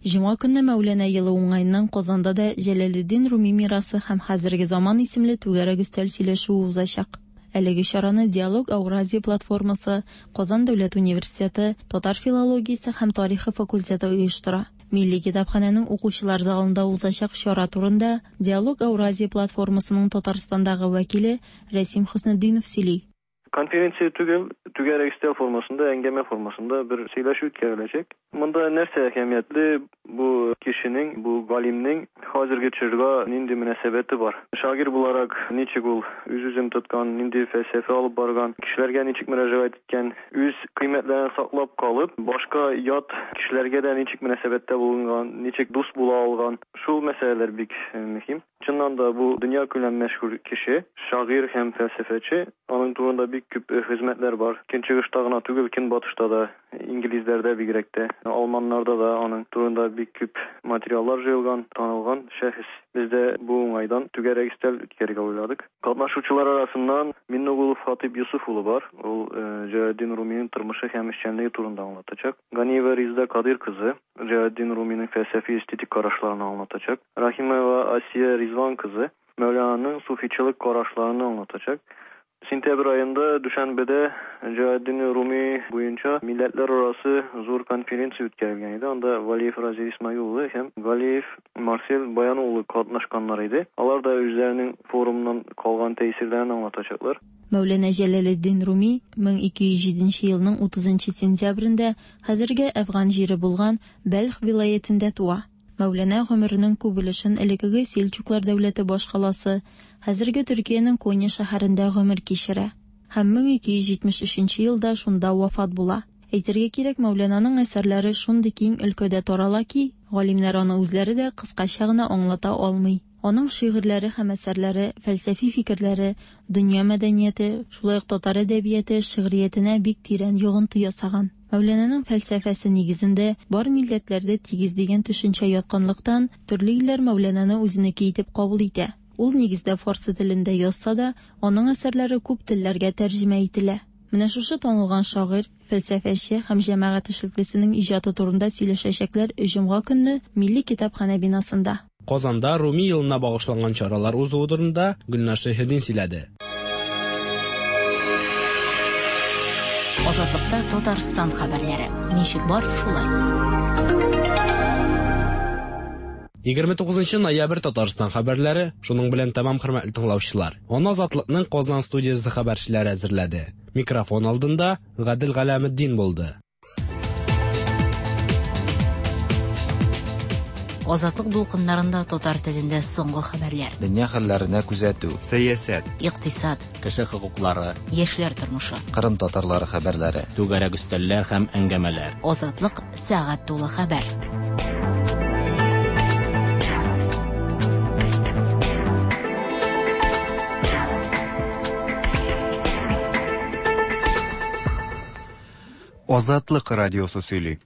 Җомга көнне Мәүләнә елы уңаеннан Казанда да Җәләлетдин Руми мирасы һәм хәзерге заман исемле түгәрәк өстәл сөйләшүе узачак. Әлеге чараны Диалог Ауразия платформасы, Казан дәүләт университеты, татар филологиясе һәм тарихы факультеты оештыра. Милли китапханәнең укучылар залында узачак чара турында Диалог Ауразия платформасының Татарстандагы вәкиле Рәсим Хөснетдинов сөйли. Конференция түгел, түгәрәк өстәл формасында, әңгәмә формасында бер сөйләшү үткәреләчәк. Монда нәрсә әһәмиятле, бу кешенең, бу галимнең хәзерге чорга нинди мөнәсәбәте бар? Шагыйрь буларак ничек ул үз-үзен тоткан, нинди фәлсәфә алып барган, кешеләргә ничек мөрәҗәгать иткән, үз кыйммәтләрен саклап калып, башка ят кешеләргә дә ничек мөнәсәбәттә булынган, ничек дус була алган. Шул мәсьәләләр бик мөһим. Чыннан да бу дөньякүләм мәшһүр кеше, шагыйрь һәм фәлсәфәче. Аның турында бик күп хезмәтләр бар. Көнчыгышта гына түгел, көнбатышта да, инглизләрдә бигрәк тә, алманнарда да аның турында бик күп материаллар җыелган, танылган шәхес. Без дә бу уңайдан түгәрәк өстәл үткәрергә уйладык. Катнашучылар арасыннан Миннегулов Хатыйп Йосыф улы бар. Ул Җәләлетдин Руминың тормышы һәм эшчәнлеге турында аңлатачак. Ганиева Резеда Кадыйр кызы Җәләлетдин Руминың фәлсәфи эстетик карашларын аңлатачак. Рахимова Асия Ризван кызы Мәүлананың суфичылык карашларын аңлатачак. Сентябрь аенда Дүшәнбедә Җәләлетдин Руми буенча милләтләр арасы зур конференция үткәрелгән иде. Анда Валиев Разил Исмаил улы һәм Галиев Марсель Баян улы катнашканнар иде. Алар да үзләренең форумнан калган тәэсирләрен аңлатачаклар. Мәүләнә Җәләлетдин Руми 1207 елның 30 сентябрендә хәзерге Әфган җире булган Бәлх вилаятендә туа. Мәүләнә гомеренең күп өлешен элеккеге Сельчуклар дәүләте башкаласы, хәзерге Төркиянең Конья шәһәрендә гомер кичерә. Һәм 1273 елда шунда вафат була. Әйтергә кирәк, Мәүләнаның әсәрләре шундый киң өлкәдә тарала ки, галимнәр аны үзләре дә кыскача гына аңлата алмый. Аның шигырьләре һәм әсәрләре, фәлсәфи фикерләре, дөнья мәдәнияте, шулай ук татар әдәбияты, шигъриятенә бик тирән йогынты ясаган. Мәүләнаның фәлсәфәсе нигезендә бар милләтләрдә тигез дигән төшенчә ятканлыктан, төрле илләр Мәүләнаны үзенеке итеп кабул итә. Ул нигездә фарсы телендә язса да, аның әсәрләре күп телләргә тәрҗемә ителә. Менә шушы танылган шагыйрь, фәлсәфәче һәм җәмәгать эшлеклесенең иҗаты турында сөйләшәчәкләр җомга көнне Милли китапханә бинасында. Казанда Руми елына багышланган чаралар узуы турында Гөлназ Шәйхетдин сөйләде. Азатлыкта Татарстан хәбәрләре. Ничек бар, шулай. 29 ноябрь Татарстан хәбәрләре шуның белән тәмам, хөрмәтле тыңлаучылар. Аны Азатлыкның Казан студиясе хәбәрчеләре әзерләде. Микрофон алдында Гадел Галәметдин булды. Азатлык дулкыннарында татар телендә соңгы хәбәрләр. Дөнья хәлләренә күзәтү. Сәясәт. Икътисад. Кеше хокуклары. Яшьләр тормышы. Кырым татарлары хәбәрләре. Түгәрәк өстәлләр һәм әңгәмәләр. Азатлык сәгать тулы хәбәр. Азатлык радиосы сөйли.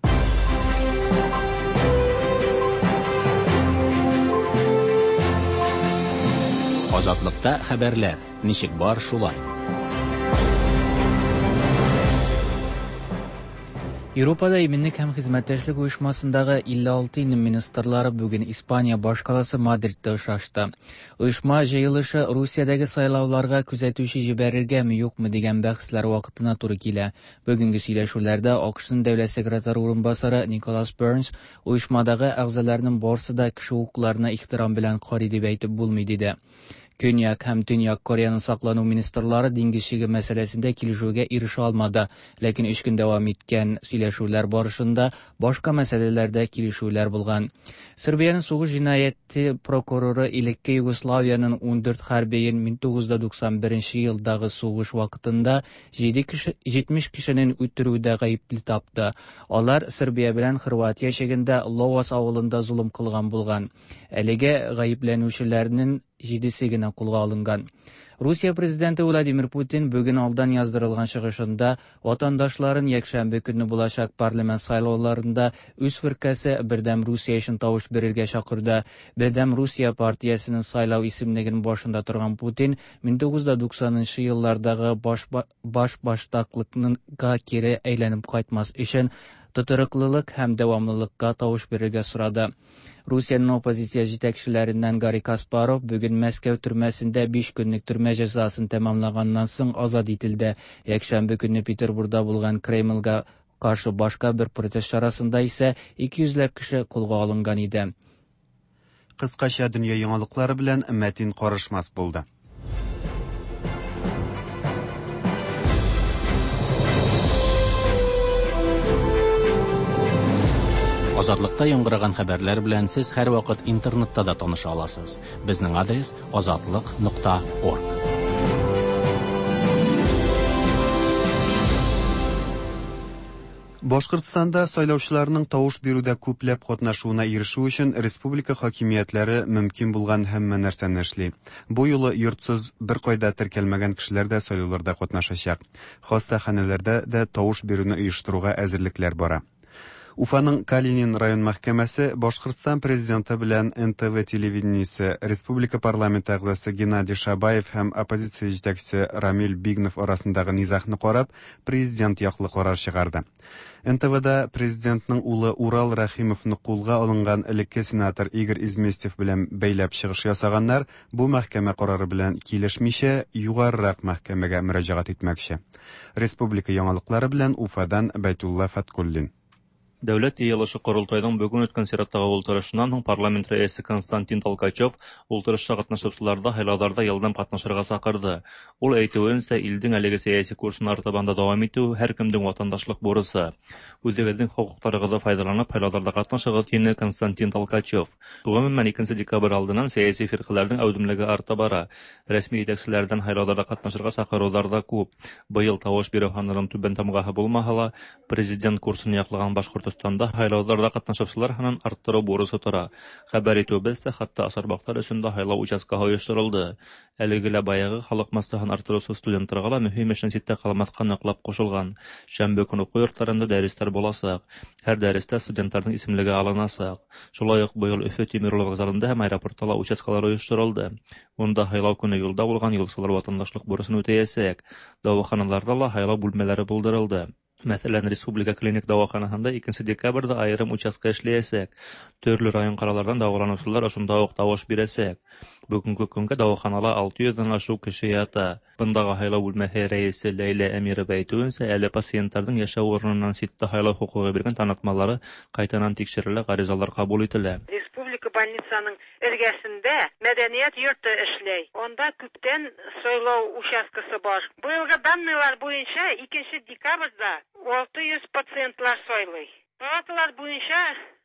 Азатлыкта хәбәрләр ничек бар шулай. Европада иминлек һәм хезмәттәшлек оешмасындагы 56 илнең министрлары бүген Испания башкаласы Мадридта очрашты. Оешма җыелышы Русиядәге сайлауларга күзәтүче җибәрергәме юкмы дигән бәхәсләр вакытына туры килә. Бүгенге сөйләшүләрдә АКШның дәүләт секретаре урынбасары Николас Бернс оешмадагы әгъзаларның барсы да кеше хокукларына ихтирам белән карый дип әйтеп булмый диде. Көньяк һәм Төньяк Кореяның саклану министрлары диңгез чиге мәсьәләсендә килешүгә ирешә алмады. Ләкин өч көн дәвам иткән сөйләшүләр барышында башка мәсьәләләрдә килешүләр булган. Сербиянең сугыш җинаяте прокуроры элекке Югославиянең 14 хәрбиен 1991 елдагы сугыш вакытында 7 кеше 70 кешенең үтерүдә гаепле тапты. Алар Сербия белән Хорватия чигендә Ловас авылында золым кылган булган. Әлегә гаепләнүчеләрнең җидесе генә кулга алынган. Русия президенты Владимир Путин бүген алдан яздырылган чыгышында ватандашларын якшәмбе көнне булачак парламент сайлауларында үз фиркәсе Бердәм Русия өчен тавыш бирергә чакырды. Бердәм Русия партиясенең сайлау исемлегенең башында торган Путин 1990 еллардагы баш баштаклыкка кире әйләнеп кайтмас өчен тотрыклылык һәм дәвамлылыкка тавыш бирергә сорады. Русиянең оппозиция җитәкчеләреннән Гарри Каспаров бүген Мәскәү төрмәсендә 5 көнлек төрмә җәзасын тәмамлаганнан соң азат ителде. Якшәмбе көнне Петербургда булган Кремльгә каршы башка бер протест чарасында исә 200 ләп кеше кулга алынган иде. Кыскача дөнья яңалыклары белән Мәтин Карышмас булды. Азатлыкта яңгыраган хәбәрләр белән сез һәрвакыт интернетта да таныша аласыз. Безнең адрес azatliq.org. Башкортстанда сайлаучыларның тавыш бирүдә күпләп катнашуына ирешү өчен республика хакимиятләре мөмкин булган һәммә нәрсәне эшли. Бу юлы йортсыз беркайда теркәлмәгән кешеләр дә сайлауларда катнашачак. Хастаханәләрдә дә тавыш бирүне оештыруга әзерлекләр бара. Уфаның Калинин район мәхкәмәсе Башкортстан президенты белән НТВ телевидениесе, республика парламенты әгъзасы Геннадий Шабаев һәм оппозиция җитәкчесе Рамил Бигнов арасындагы низагны карап, президент яклы карар чыгарды. НТВда президентның улы Урал Рәхимовны кулга алынган элекке сенатор Игорь Изместьев белән бәйләп чыгыш ясаганнар бу мәхкәмә карары белән килешмичә югарырак мәхкәмәгә мөрәҗәгать итмәкче. Республика яңалыклары белән Уфадан Бәйтулла Фаткуллин. Дәүләт йыелышы Корылтайның бүген үткән чираттагы ултырышыннан һуң парламент рәисе Константин Толкачев ултырышта катнашучыларда һайлауларда елдан катнашырга чакырды. Ул әйтүенчә, илдең әлеге сәяси курсын артабан да дәвам итү һәркемнең ватандашлык бурычы. Үзегезнең хокукларыгызны файдаланып һайлауларда катнашыгыз, диде Константин Толкачев. Гомумән, 2 декабрь алдыннан сәяси фиркаләрнең әүдемлеге арта бара. Рәсми җитәкчеләрдән һайлауларда катнашырга чакырулар да күп. Быел тавыш бирү һанының түбән тамгаһы булмаһа ла, президент курсын яклаган Башкортостанда һайлауларда катнашучылар һанын арттыру бурычы тора. Хәбәр итүебезчә, хәтта Асарбаклар өчен дә һайлау участкаһы оештырылды. Әлеге лә баягы халык массаһын арттыручы студентларга ла мөһим эшнең читтә калмаска ныклап кушылган. Шәмбе көн уку йортларында дәресләр булачак. Һәр дәрестә студентларның исемлеге алыначак. Шулай ук быел Өфө тимер юлы вокзалында һәм аэропортта ла участкалар оештырылды. Монда һайлау көне юлда булган юлчылар ватандашлык бурычын үтәячәк. Дәваханаларда ла һайлау бүлмәләре булдырылды. Мәсәлән, Республика клиник дәваханаһында 2 декабрьдә аерым участка эшләячәк. Төрле район калалардан дәваланучылар ошонда ук тавыш бирәчәк. Бүгенге көнгә дәваханала 600 дән ашык кеше ята. Бындагы һайлау бүлмәһе рәисе Ләйлә Әмирова әйтүенчә, әле пациентларның яшәү урыныннан читтә һайлау хокукы биргән танытмалары кайтанан тикшерелә, гаризалар кабул ителә. Республика больницаның эргәсендә мәдәният йорты эшләй. Анда күптән сайлау участкасы бар. Быелгы данныйлар буенча 2 декабрьдә 600 пациентлар сайлый. Палаталар буенча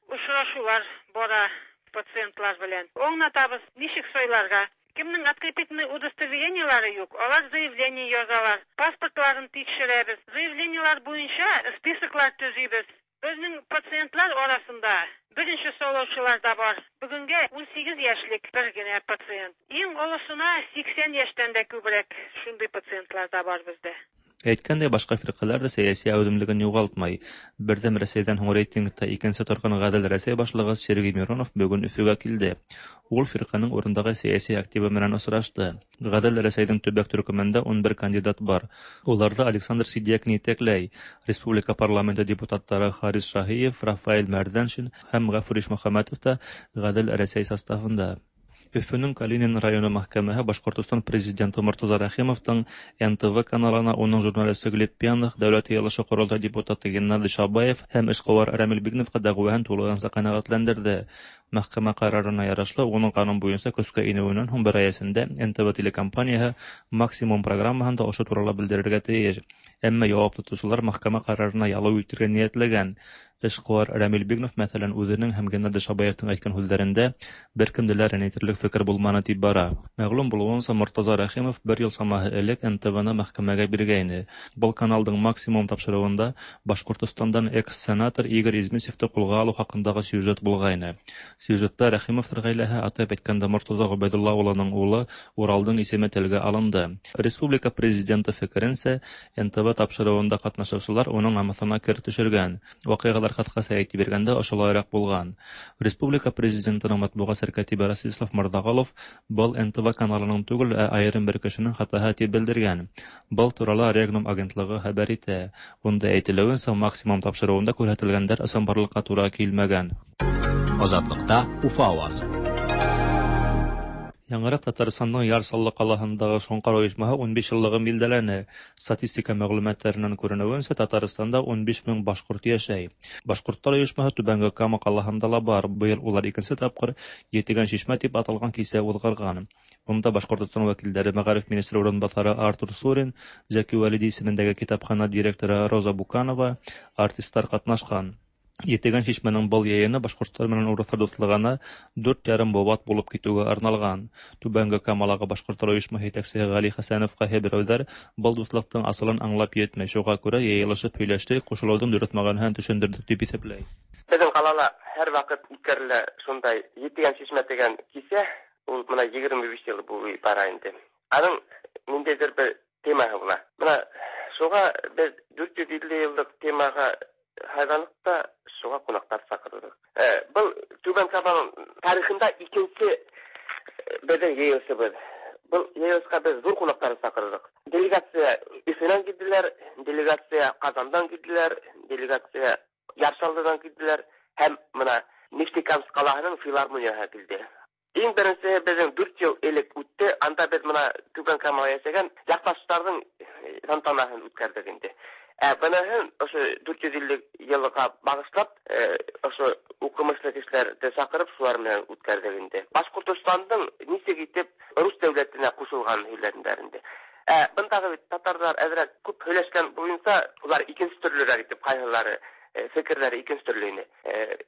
очрашулар бара пациентлар белән. Аңлатабыз, ничек сайларга. Кемнең открепительный удостоверениелары юк, алар заявление язалар, паспортларын тикшерәбез. Заявлениелар буенча списоклар төзибез. Безнең пациентлар арасында беренче сайлаучылар да бар. Бүгенгә 18 яшьлек бер генә пациент. Иң олысына 80 яшьтән дә күбрәк шундый пациентлар да бар бездә. Әйткәндәй, башка фиркаләр дә сәяси әүдемлеген югалтмай. Бердәм Рәсәйдән һуң рейтингта икенче торган Гадел Рәсәй башлыгы Сергей Миронов бүген Өфөгә килде. Ул фирканең урындагы сәяси активы белән очрашты. Гадел Рәсәйнең төбәк төркемендә 11 кандидат бар. Уларда Александр Сидякин итәкләй. Республика парламенты депутатлары Харис Шаһиев, Рафаэль Мәрдәншин һәм Гафур Ишмөхәммәтов та Гадел Рәсәй составында. Өфөнең Калинин районы мәхкәмәһе Башкортостан президенты Мортаза Рәхимовның НТВ каналына уның журналисты Глеб Пьяных, Дәүләт ыелышы-Корылтай депутаты Геннадий Шабаев һәм эшкуар Рәмил Бигновка дәгъваһын тулыгынча канәгатьләндерде. Мәхкәмә карарына ярашлы, уның канун буенча көчкә инүеннән һуң бер ай эчендә НТВ телекомпанияһе Максимум программаһында ошо турала белдерергә тиеш. Әмма явап тотучылар мәхкәмә карарына ялу итергә ниятләгән. Эшкуар Рәмил Бигнов, мәсәлән, үзенең һәм Геннадий Шабаевның әйткән һүзләрендә беркемне дә рәнҗетерлек фикер булманы дип бара. Мәгълүм булуынча, Мортаза Рәхимов бер ел чамаһы элек НТВны мәхкәмәгә биргәйне. Был каналдың Максимум тапшырыуында Башкортостандан экс-сенатор Игорь Измисевты кулга алу хакындагы сюжет булгайны. Сюжетта Рәхимовлар гаиләһе, атап әйткәндә, Мортаза Гобәйдулла улының улы Уралдың исеме телгә алынды. Республика президенты фикеренчә, НТВ тапшырыуында катнашучылар уның намусына кер төшергән. Вакыйгалар кыскача әйтеп биргәндә ошолайрак булган. Республика президентының матбугат сәркәтибе Ростислав Мордаголов был НТВ каналының түгел, ә аерым бер кешенең хатаһы дип белдергән. Был турала Регнум агентлыгы хәбәр итә. Унда әйтелүенчә, Максимум тапшырыуында күрһәтелгәннәр ысынбарлыкка тура килмәгән. Азатлыкта Уфа авазы. Яңарак Татарстанның Яр Чаллы калаһындагы Шоңкар оешмаһы 15 еллыгын билдәләне. Статистика мәгълүматларыннан күренүенчә, Татарстанда 15 мең башкорт яшәй. Башкортлар оешмаһы Түбәнге Кама калаһында ла бар. Быел улар икенче тапкыр Етегән чишмә дип аталган кисә уҙғарған. Унда Башкортостан вәкилдәре мәгариф министры урынбаҫары Артур Сурин, Зәки Вәлиди исемендәге китапхана директоры Роза Буканова, артистлар катнашкан. Етегән чишмәнең был йыйыны башҡорттар менән урыҫтар дуҫлығына 4,5 быуат булып китеүгә арналған. Түбәнге Камалағы башҡорттар ойошмаһы етәксеһе Ғәли Хәсәнов ҡайһы берәүҙәр был дуҫлыҡтың асылын аңлап етмәй, шуға күрә йыйылышып һөйләштек, ҡушылыуҙың дөрөҫ мәғәнәһен төшөндөрҙөк тип иҫәпләй. Беҙҙең ҡалала һәр ваҡыт үткәрелә шундай Етегән чишмә тигән кисә, ул бына 25 йыл буйы бара инде. Аның ниндәйҙер бер темаһы була. Бына шуға беҙ 450 йыллыҡ темаға һайланыҡ та шуға ҡунаҡтар саҡырҙыҡ. Был Түбән Каманың тарихында икенсе беҙҙең йыйылышыбыҙ. Был йыйылышҡа беҙ ҙур ҡунаҡтарҙы саҡырҙыҡ. Делегация Өфөнән килделәр, делегация Ҡазандан килделәр, делегация Яр Чаллыдан килделәр һәм бына Нефтекамск ҡалаһының филармонияһы килде. Иң беренсеһе беҙҙең 4 йыл элек үтте. Анда беҙ бына Түбән Камала йәшәгән яҡташтарҙың тантанаһын үткәрҙек инде. Ә быныһын ошо 450 йылға бағышлап, ошо уҡымышлы кешеләрҙе саҡырып, шулар менән үткәрҙек инде. Башҡортостандың нисек итеп рус дәүләтенә ҡушылғанын һөйләнделәр инде. Ә бындағы бит татарҙар әҙерәк күп һөйләшкән буйынса, улар икенсе төрлөрәк итеп ҡайһылары фекерҙәре икенсе төрлө ине.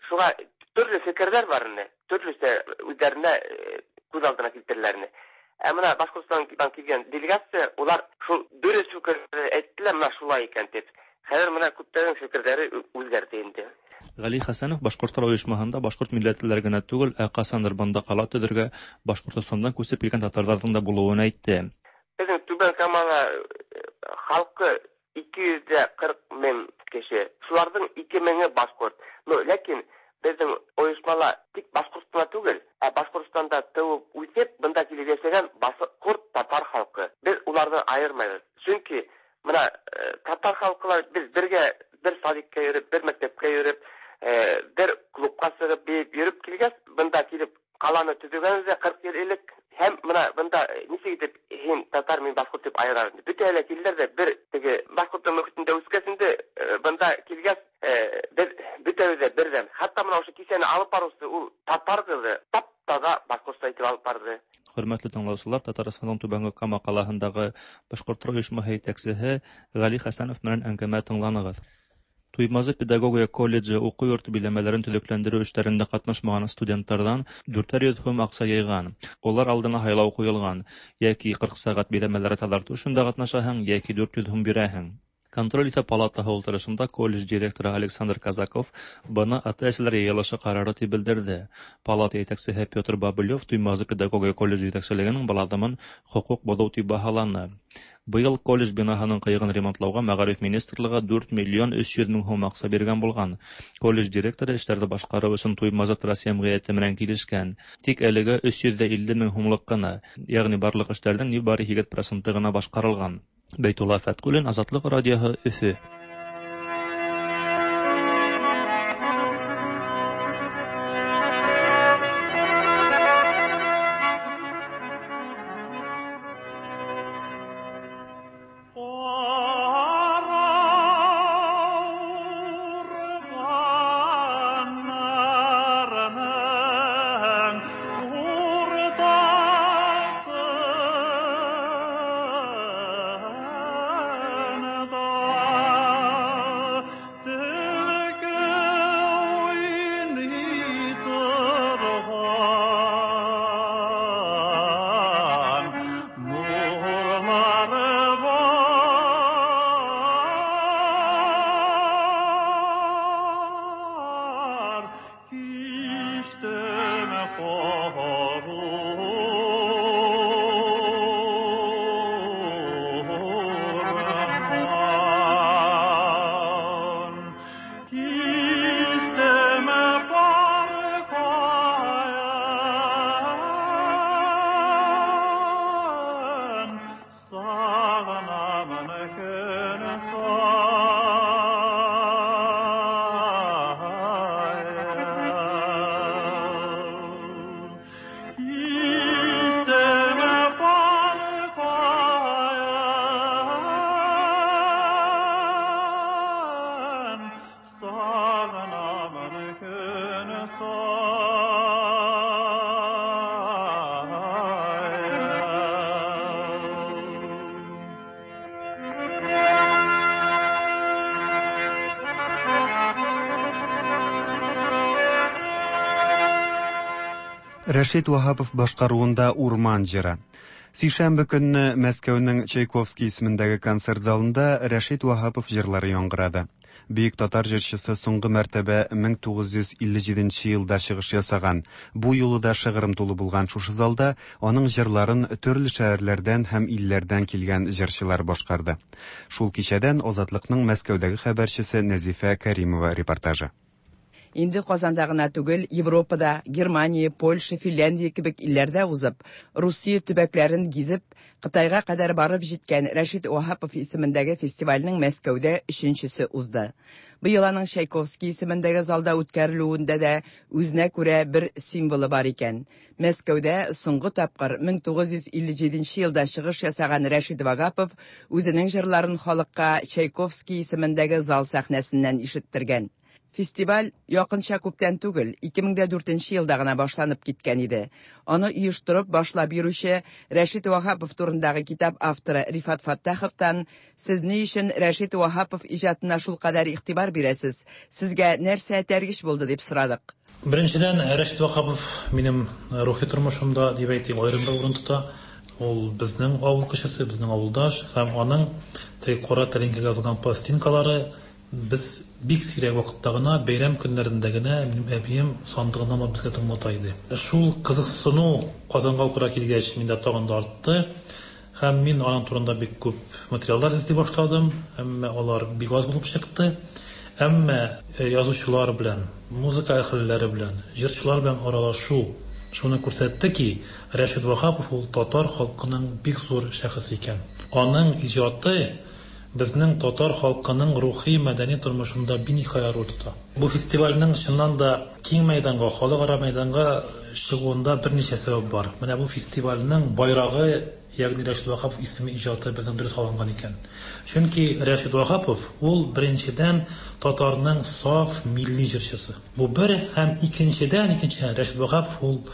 Шуға төрлө фекерҙәр бар ине, төрлөсә үҙҙәренә күҙ алдына килтереләр ине. Ә бына Башҡортостандан килгән делегация, улар шул дөрөҫ фекерҙе әйттеләр, бына шулай икән тип. Хәҙер бына күптәрҙең фекерҙәре үҙгәрҙе инде. Ғәли Хәсәнов башҡорттар ойошмаһында башҡорт милләтлеләр генә түгел, ә ҡасандыр бында ҡала төҙөргә Башҡортостандан күсеп килгән татарҙарҙың да булыуын әйтте. Беҙҙең Түбән Камала халҡы 240 мең кеше. Шуларҙың 2 меңе башҡорт. Но ләкин беҙҙең ойошмала тик башҡорт ҡына түгел, ә Башҡортостанда тыуып үҫеп, бында килеп йәшәгән башҡорт татар халҡы. Беҙ уларҙы айырмайбыҙ. Сөнки бына татар халҡы беҙ бергә бер садикка йөрөп, бер мәктәпкә йөрөп, бер клубҡа сығып бейеп йөрөп килгәс, бында килеп ҡаланы төҙөгәнбеҙ 40 йыл элек. Һәм бына бында нисек итеп һин татар, мин башҡорт тип айырар инде. Бөтәһе лә килделәр ҙә бер теге башҡорттың мөхитендә үҫкәс инде, бында килгәс, беҙ бөтәбеҙ ҙә берҙәм. Хатта бына ошо кисәне алып барыусы ул татар ҡыҙы тап-таҙа башҡортса итеп алып барҙы. Хөрмәтле тыңлаусылар, Татарстандың Түбәнге Кама ҡалаһындағы башҡорттар ойошмаһы етәксеһе Ғәли Хәсәнов менән әңгәмә тыңланығыҙ. Туймазы педагогия колледжы уҡыу йорто биләмәләрен төҙөкләндереү эштәрендә ҡатнашмаған студенттарҙан 400 һум аҡса йыйған. Улар алдына һайлау ҡуйылған: йәки 40 сәғәт биләмәләре таҙартыу эшендә ҡатнашаһың, йәки 400 һум бирәһең. Контроль итү палатаһы ултырышында колледж директоры Александр Казаков быны ата-әсәләр йыйылышы карары дип белдерде. Палата җитәкчеһе Петр Бобылев Туймазы педагогия колледжы җитәкчелегенең был аҙымын хоҡуҡ боҙоу тип баһаланы. Быйыл колледж бинаһының ҡыйығын ремонтлауға мәғариф министрлығы 4 миллион 300 мең һум аҡса биргән булған. Колледж директоры эштәрҙе башҡарыу өсөн Туймазы Трасс йәмғиәте менән килешкән. Тик әлегә 350 мең һумлыҡ ҡына, ягъни барлыҡ эштәрҙең ни бары 8 проценты ғына башҡарылған. Бәйтулла Фәтҡуллин, Азатлыҡ радиоһы, Өфө. Рәшит Ваһапов башкаруында Урман җыры. Сишәмбе көнне Мәскәүнең Чайковский исемендәге концерт залында Рәшит Ваһапов җырлары яңгырады. Бөек татар җырчысы соңгы мәртәбә 1957 елда чыгыш ясаган. Бу юлы да шыгрым тулы булган шушы залда аның җырларын төрле шәһәрләрдән һәм илләрдән килгән җырчылар башкарды. Шул кичәдән Азатлыкның Мәскәүдәге хәбәрчесе Нәзифә Кәримова репортажы. Инде Казанда гына түгел, Европада, Германия, Польша, Финляндия кебек илләрдә узып, Русия төбәкләрен гизеп, Кытайга кадәр барып җиткән Рәшит Ваһапов исемендәге фестивальнең Мәскәүдә өченчесе узды. Быел аның Чайковский исемендәге залда үткәрелүендә дә үзенә күрә бер символы бар икән. Мәскәүдә соңгы тапкыр 1957 елда чыгыш ясаган Рәшит Вагапов үзенең җырларын халыкка Чайковский исемендәге зал сәхнәсеннән ишеттергән. Фестиваль якынча күптән түгел, 2004 елда гына башланып киткән иде. Аны оештырып башлап йөрүче Рәшит Ваһапов турындагы китап авторы Рифат Фаттаховтан «Сез ни өчен Рәшит Ваһапов иҗатына шулкадәр игътибар бирәсез? Сезгә нәрсә этәргеч булды?» дип сорадык. Беренчедән, Рәшит Ваһапов минем рухи тормышымда, дип әйтик, аерым бер урын тота. Ул безнең авыл кешесе, безнең авылдаш һәм аның теге кара тәлинкәгә язылган пластинкалары без бик сирәк вакытта гына, бәйрәм көннәрендә генә минем әбием сандыгыннан алып безгә тыңлата иде. Шул кызыксыну Казанга укырга килгәч миндә тагын да артты. Һәм мин аның турында бик күп материаллар эзли башладым, әмма алар бик аз булып чыкты. Әмма язучылар белән, музыка әһелләре белән, җырчылар белән аралашу шуны күрсәтте ки, Рәшит Ваһапов ул татар халкының бик зур шәхесе икән. Аның иҗаты безнең татар халкының рухи мәдәни тормышында биниһая роль тота. Бу фестивальнең чыннан да киң мәйданга, халыкара мәйданга чыгуында берничә сәбәп бар. Менә бу фестивальнең байрагы, ягъни Рәшит Ваһапов исеме иҗаты безнең дөрес алынган икән. Чөнки Рәшит Ваһапов ул беренчедән татарның саф милли җырчысы. Бу бер һәм икенчедән, икенчедән Рәшит Ваһапов ул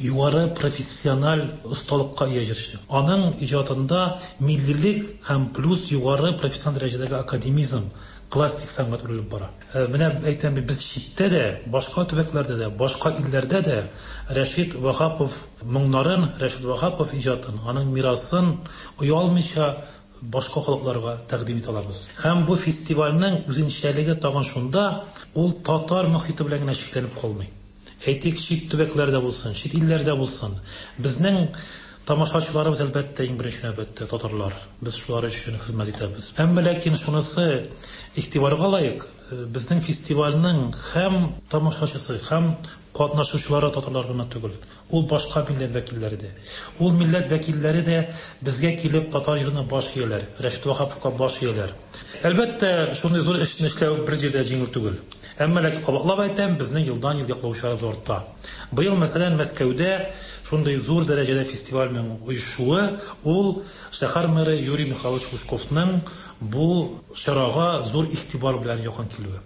югары профессиональ осталыкка ия җырчы. Аның иҗатында миллилек һәм плюс югары профессиональ дәрәҗәдәге академизм, классик сәнгать үрелеп бара. Менә әйтәм бит, без читтә дә, башка төбәкләрдә дә, башка илләрдә дә Рәшит Ваһапов моңнарын, Рәшит Ваһапов иҗатын, аның мирасын оялмыйча башка халыкларга тәкъдим итә алабыз. Һәм бу фестивальнең үзенчәлеге тагын шунда, ул татар мохите белән генә чикләнеп калмый. Әйтик, чит төбәкләрдә булсын, чит илләрдә булсын. Безнең тамашачыларыбыз, әлбәттә, иң беренче нәүбәттә татарлар. Без шулар өчен хезмәт итәбез. Әмма ләкин шунысы игътибарга лаек, безнең фестивальнең һәм тамашачысы, һәм катнашучылары татарлар гына түгел. Ул башка милләт вәкилләре дә. Ул милләт вәкилләре дә безгә килеп татар җырына баш ияләр, Рәшит Ваһаповка баш ияләр. Әлбәттә, шундый зур эшне эшләү бер җирдә җиңел түгел. Әмма ләкин кабатлап әйтәм, безнең елдан-ел яклаучыларыбыз арта. Быел, мәсәлән, Мәскәүдә шундый зур дәрәҗәдә фестивальнең оешуы, ул шәһәр мэры Юрий Михайлович Лужковның бу чарага зур игътибар белән якын килүе.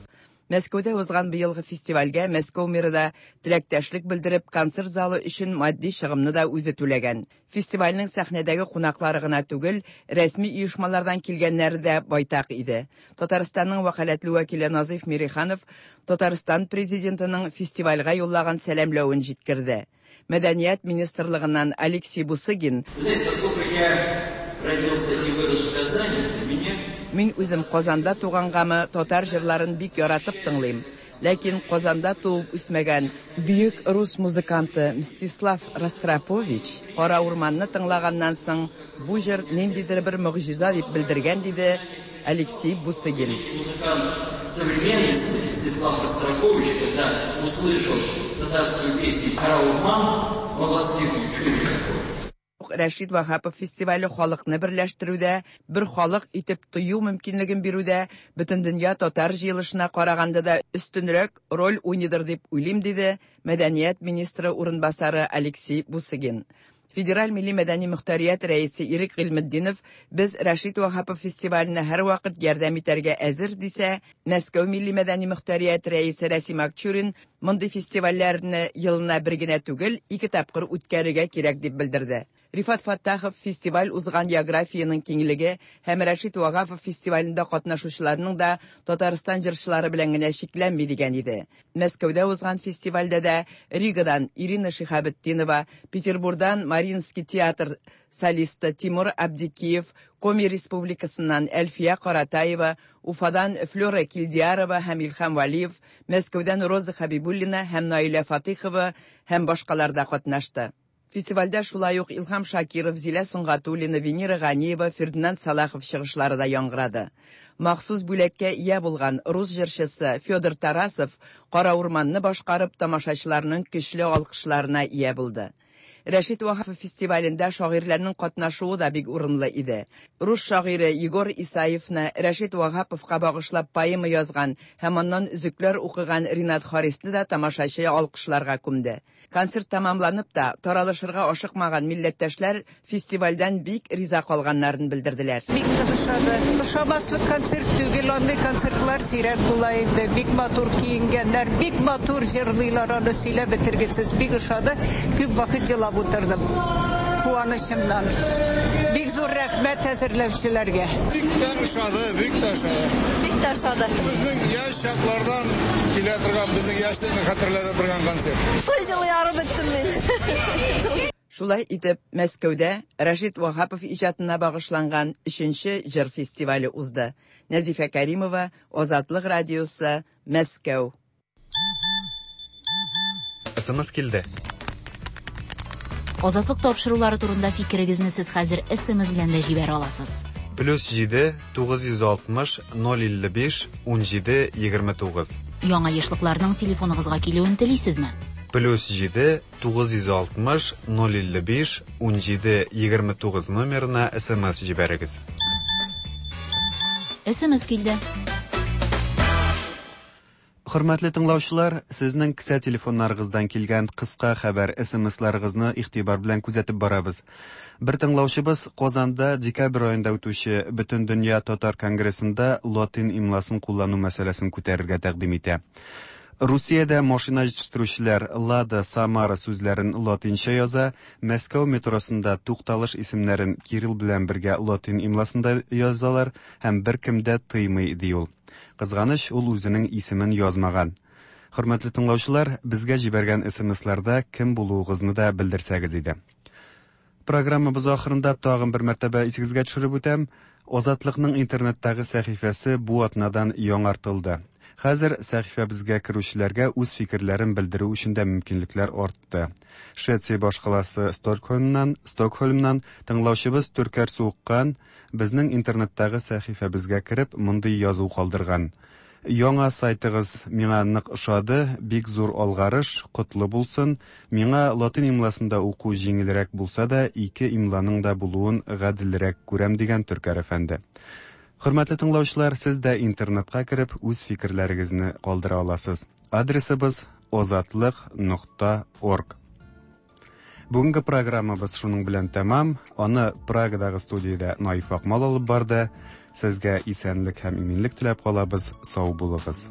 Мәскәүдә узган быелгы фестивальгә Мәскәү мэры да теләктәшлек белдереп, концерт залы өчен матди чыгымны да үзе түләгән. Фестивальнең сәхнәдәге кунаклары гына түгел, рәсми оешмалардан килгәннәре дә байтак иде. Татарстанның вәкаләтле вәкиле Назыйф Мириханов Татарстан Президентының фестивальгә юллаган сәламләвен җиткерде. Мәдәният министрлыгыннан Алексей Бусыгин Знаете, поскольку я родился и вырос в Казани, для меня Мин үзем Казанда тугангамы, татар җырларын бик яратып тыңлыйм. Ләкин Казанда туып үсмәгән бөек рус музыканты Мстислав Ростропович Кара урманны тыңлаганнан соң бу җыр ниндидер бер могҗиза дип белдергән, диде Алексей Бусыгин. Музыкант современности Мстислав Ростропович, когда услышал татарскую песню «Кара урман», он воскликнул: «Чудо какое!» Рәшит Ваһапов фестивале халыкны берләштерүдә, бер халык итеп тою мөмкинлеген бирүдә Бөтендөнья татар җыелышына караганда да өстенрәк роль уйныйдыр дип уйлыйм, диде мәдәният министры урынбасары Алексей Бусыгин. Федераль милли мәдәни мөхтәрият рәисе Ирек Гыйльметдинов без Рәшит Ваһапов фестиваленә һәрвакыт ярдәм итәргә әзер дисә, Мәскәү милли мәдәни мөхтәрият рәисе Рәсим Акчурин мондый фестивальләрне елына бер генә түгел, ике тапкыр үткәрергә кирәк дип белдерде. Рифат Фәттахов фестиваль узган географиянең киңлеге һәм Рәшит Ваһапов фестивалендә катнашучыларның да Татарстан җырчылары белән генә чикләнми дигән иде. Мәскәүдә узган фестивальдә дә Ригадан Ирина Шиһабетдинова, Петербурдан Мариинский театр солисты Тимур Абдикиев, Коми Республикасыннан Әлфия Каратаева, Уфадан Флера Килдиярова һәм Илһам Вәлиев, Мәскәүдән Роза Хәбибуллина һәм Наилә Фатыйхова һәм башкалар да катнашты. Фестивальдә шулай ук Илһам Шакиров, Зилә Сөнгатуллина, Венера Ганиева, Фердинанд Салахов чыгышлары да яңгырады. Махсус бүләккә ия булган рус җырчысы Федор Тарасов Кара урманны башкарып тамашачыларның көчле алкышларына ия булды. Рәшит Ваһапов фестивалендә шагыйрьләрнең катнашуы да бик урынлы иде. Рус шагыйре Егор Исаевны Рәшит Ваһаповка багышлап поэма язган һәм аннан өзекләр укыган Ринат Харисны да тамашачы алкышларга күмде. Концерт тәмамланып та, таралышырга ашыкмаган милләттәшләр фестивальдән бик риза калганнарын белдерделәр. Бик нык ошады. Ошамаслык концерт түгел, андый концертлар сирәк була инде. Бик матур киенгәннәр, бик матур җырлыйлар, аны сөйләп бетергесез. Бик ошады. Күп вакыт елап утырдым. Куанычымнан. Бик зур рәхмәт әзерләүчеләргә. Бик тә ошады, бик тә ошады. Бик тә ошады. Безнең яшь чаклардан килә торган, безнең яшьлекне хәтерләтә торган концерт. Шулай җылый арып беттем мин. Шулай итеп, Мәскәүдә Рәшит Ваһапов иҗатына багышланган өченче җыр фестивале узды. Нәзифә Кәримова, Азатлык радиосы, Мәскәү. СМС килде. Азатлык тапшырулары турында фикерегезне сез хәзер СМС белән дә җибәрә аласыз. Плюс 7 960 055 17 29. Яңа ешлыкларның телефоныгызга килүен телисезме? Плюс 7 960 055 17 29 номерына СМС җибәрегез. СМС килде. Хөрмәтле тыңлаучылар, сезнең кесә телефоннарыгыздан килгән кыска хәбәр СМСларыгызны игътибар белән күзәтеп барабыз. Бер тыңлаучыбыз Казанда декабрь аенда үтүче Бөтендөнья татар конгрессында латин имласын куллану мәсьәләсен күтәрергә тәкъдим итә. Русиядә машина җитештерүчеләр Лада, Самара сүзләрен латинча яза, Мәскәү метросында тукталыш исемнәрен кирилл белән бергә латин имласында язалар һәм беркем дә тыймый, ди ул. Кызганыч, ул үзенең исемен язмаган. Хөрмәтле тыңлаучылар, безгә җибәргән СМСларда кем булуыгызны да белдерсәгез иде. Программабыз ахырында тагын бер мәртәбә исегезгә төшереп үтәм. Азатлыкның интернеттагы сәхифәсе бу атнадан яңартылды. Хәзер сәхифәбезгә керүчеләргә үз фикерләрен белдерү өчен дә мөмкинлекләр артты. Швеция башкаласы Стокһольмнан, Стокһольмнан тыңлаучыбыз Төркәр Суыккан безнең интернеттагы сәхифәбезгә кереп мондый язу калдырган. Яңа сайтыгыз миңа нык ошады, бик зур алгарыш, котлы булсын. Миңа латин имласында уку җиңелрәк булса да, ике имланың да булуын гаделрәк күрәм дигән Төркәр әфәнде. Хөрмәтле тыңлаучылар, сез дә интернетка кереп үз фикерләрегезне калдыра аласыз. Адресыбыз озатлык.орг. Бүгенге программабыз шуның белән тәмам. Аны Прагадагы студиядә Наиф Акмал алып барды. Сезгә исәнлек һәм иминлек теләп калабыз. Сау булыгыз.